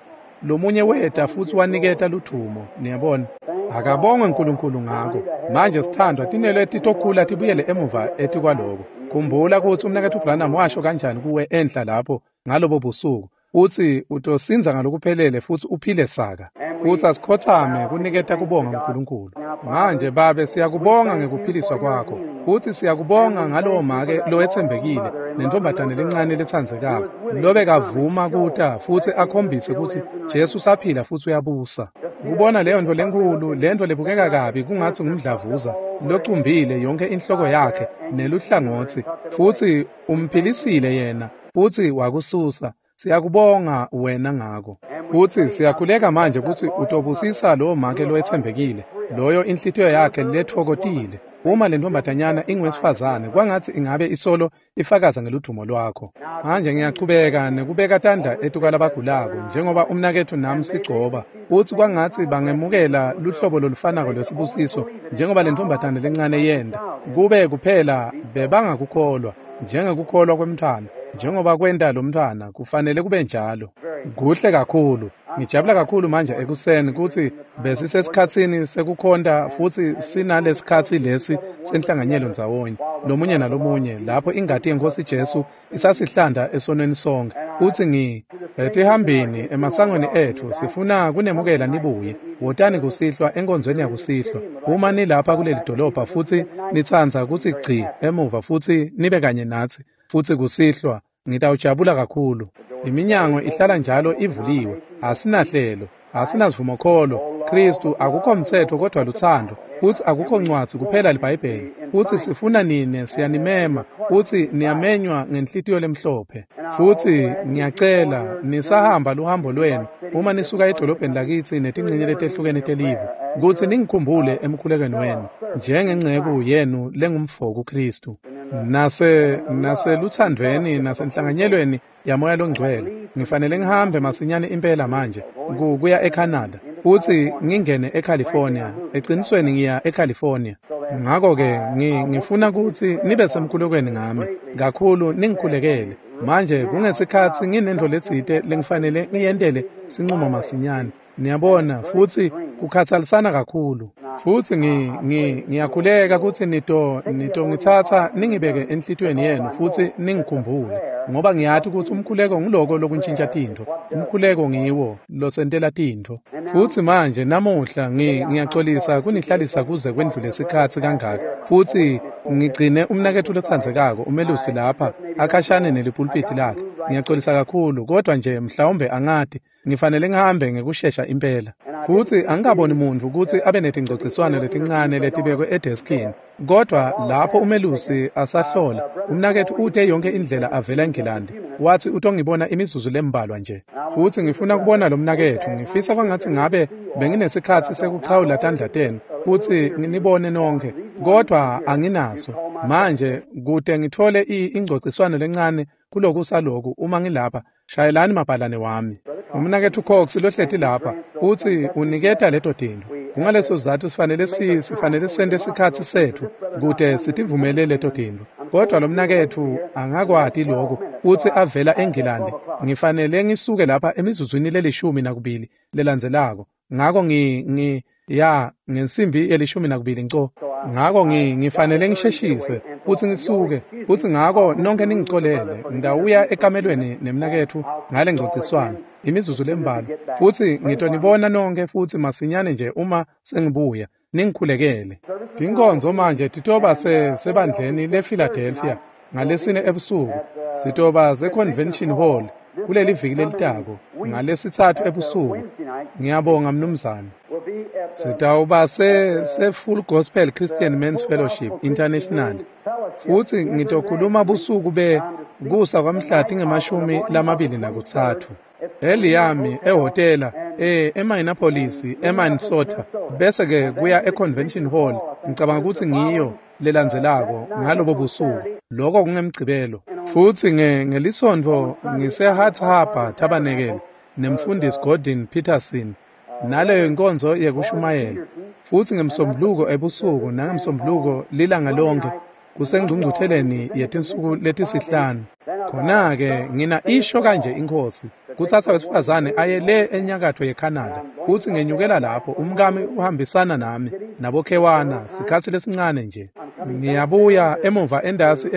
Lomunye weta futsi waniketa ludvumo, niyabona. Akabongwe uNkulunkulu ngako. Manje sithandwa, tinwele titokhula tibuyele emuva etikwaloko. Khumbula kutsi umnaketfu Branham washo kanjani kuwe enhla lapho ngalobo busuku, utsi utosindza ngalokuphelele futsi uphile saka. Futsi asikhotsame kuniketa kubonga uNkulunkulu. Manje Babe, siyakubonga ngekuphiliswa kwakho. Futsi siyakubonga ngalowo make lowetsembekile nentombazane lencane letsandzekako lobekavuma kuta futsi akhombise kutsi Jesu usaphila futsi uyabusa. Kubona leyo nto lenkhulu, lento lebukeka kabi kungatsi ngumdlavuza locumbile yonke inhloko yakhe neluhlangotsi, futsi umphilisile yena futsi wakususa. Siyakubonga wena ngako. Futsi siyakhuleka manje kutsi utobusisa lowo make lowetsembekile, loyo inhlitiyo yakhe letfokotile. Uma le ntombazanyana ingowesifazane, kwangatsi ingabe isolo ifakaza ngeludumo lwakho. Manje ngiyachubeka nekubeka tandla etukwalabagulako njengoba umnaketfu nami sigcoba, futsi kwangatsi bangemukela luhlobo lolufanako lwesibusiso njengoba le ntombazane lencane yenta. Kube kuphela bebangakukholwa njengekukholwa kwemntfwana, njengoba kwenta lo mntfwana, kufanele kube njalo. Kuhle kakhulu. Ngijabula kakhulu manje ekuseni kutsi besisesikhatsini sekukhonta futsi sinalesikhatsi lesi senhlanganyelo ndzawonye lomunye nalomunye lapho ingati yeNkhosi Jesu isasihlanda esonweni sonke. Futsi etihambini emasangweni etfu sifuna kunemukela nibuye. Wotani kusihlwa enkonzweni yakusihlwa. Uma nilapha kuleli dolobha futsi nitsandza kutsi gci emuva futsi nibe kanye natsi futsi kusihlwa, ngitawujabula kakhulu. Iminyango ihlala njalo ivuliwe. Asinahlelo, asinasivumokholo. Kristu akukho mtsetfo kodwa lutsandvo, futsi akukho ncwadzi kuphela liBhayibheli. Futsi sifuna nine, siyanimema, futsi niyamenywa ngenhlitiyo lemhlophe. Futsi ngiyacela nisahamba luhambo lwenu uma nisuka edolobheni lakitsi netincenye letehlukene telive, kutsi ningikhumbule emkhulekweni wenu njengenceku yenu lengumfo kuKristu. Naseluthandvweni nasenhlanganyelweni yaMoya loNgcwele. Ngifanele ngihambe masinyane impela manje kuya eCanada futsi ngingene eCalifornia. Ecinisweni ngiya eCalifornia. Ngakho-ke ngifuna kutsi nibe semkhulekweni ngami kakhulu, ningikhulekele. Manje kungesikhatsi nginento letsite lengifanele ngiyentele sincumo masinyane. Niyabona, futsi kukhatsalisana kakhulu. Futsi ngiyakhuleka kutsi nitongitsatsa ningibeke enhlitiyweni yenu futsi ningikhumbule, ngoba ngiyati kutsi umkhuleko nguloko lokuntshintsha tintfo. Umkhuleko ngiwo losentela tintfo. Futsi manje namuhla ngiyaxolisa kunihlalisa kuze kwendlule sikhatsi kangaka. Futsi ngigcine umnaketfu lotsandzekako umelusi lapha akhashane nelipulpiti lakhe. Ngiyaxolisa kakhulu, kodwa nje mhlawumbe angati ngifanele ngihambe ngekushesha impela. Futsi angikaboni muntfu kutsi abe netingcociswano letincane letibekwe edeskini. Kodwa lapho umelusi asahlola, umnaketfu ute yonke indlela avela eNgilandi. Wathi utongibona imizuzu lembalwa nje. Futsi ngifuna kubona lo mnaketfu. Ngifisa kwangatsi ngabe benginesikhatsi sekuchawula tandla tenu futsi nginibone nonke, kodwa anginaso. Manje kute ngithole ingcociswano lencane kulokusaloku uma ngilapha, shayelani mabhalane wami. Umnaketfu Cox lohleti lapha utsi uniketa leto tintfo. Kungaleso sizatfu sifanele sente sikhatsi setfu kute sitivumele leto tintfo. Kodwa lo mnaketfu angakwati lokhu, utsi avela eNgilandi. Ngifanele ngisuke lapha emizuzwini le-12 lelandzelako. Ngako ngensimbi ye-12 nco. Ngako ngifanele ngisheshise futsi ngisuke, futsi ngako nonke ningicolele. Ngitawuya ekamelweni nemnaketfu ngale ngcociswano imizuzu lembalwa, futsi ngitonibona nonke futsi masinyane nje uma sengibuya. Ningikhulekele. Tinkonzo manje titoba sebandleni lePhiladelphia ngalesine ebusuku. Sitoba seConvention Hall kuleli viki lelitako ngalesitsatfu ebusuku. Ngiyabonga mnumzane. Sitawuba se-Full Gospel Christian Men's Fellowship International. Futsi ngitokhuluma busuku kusa kwamhla tinge-23. Eliyami ehhotela eMinneapolis, eMinnesota, bese ke kuya eConvention Hall. Ngicabanga kutsi ngiyo lelandzelako ngalobo busuku. Lokho kungemgcibelo. Futsi ngelisonto ngise-Hart Harbor Tabernacle nemfundisi Gordon Peterson naleyo inkonzo yekushumayela. Futsi ngemsombuluko ebusuku nangemsombuluko lilanga lonke kusengcungcutheleni yetinsuku letisihlanu. Khona-ke ngina isho kanje iNkhosi kutsatsa wesifazane aye le enyakatfo yeCanada. Futsi ngenyukela lapho, umkami uhambisana nami nabokhewana sikhatsi lesincane nje. Ngiyabuya emuva endasi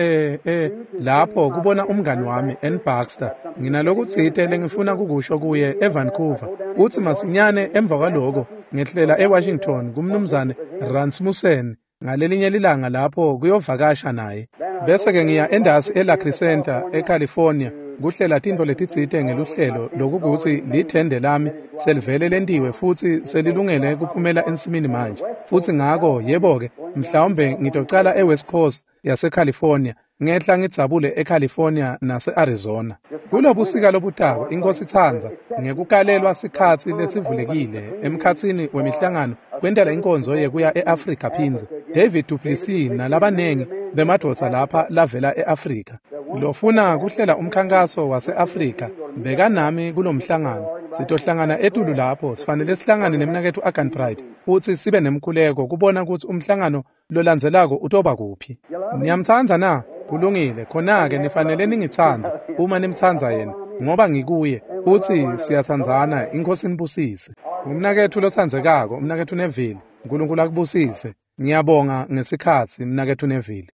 lapho kubona umngani wami N. Baxter. Nginalokutsite lengifuna kukusho kuye eVancouver. Futsi masinyane emva kwaloko ngehlela eWashington kumnumzane Rasmussen. ngalelinye lilanga lapho kuyovakasha naye. Bese-ke ngiya endasi eLa Crescenta eCalifornia kuhlela tintfo letitsite ngeluhlelo lokukutsi lithende lami selivele lentiwe futsi selilungele kuphumela ensimini manje. Futsi ngako yebo-ke, mhlawumbe ngitocala eWest Coast yaseCalifornia, ngehla ngidzabule eCalifornia nase-Arizona. Kulobusika lobutako, iNkosi itsandza, ngekukalelwa sikhatsi lesivulekile emkhatsini wemihlangano kwentela inkonzo yekuya e-Afrika phindze. David duPlessis nalabanengi bemadvodza lapha lavela e-Afrika. Lofuna kuhlela umkhankaso wase-Afrika, bekanami kulomhlangano. Sitohlangana etulu lapho, sifanele sihlangane nemnaketfu Arganbright futsi sibe nemkhuleko kubona kutsi umhlangano lolandzelako utoba kuphi. Niyamtsandza na? Kulungile, khona-ke nifanele ningitsandze uma nimtsandza yena, ngoba ngikuye, futsi siyatsandzana. INkhosi inibusise. Umnaketfu lotsandzekako, umnaketfu Neville, Nkulunkulu akubusise. Ngiyabonga ngesikhatsi, mnaketfu Neville.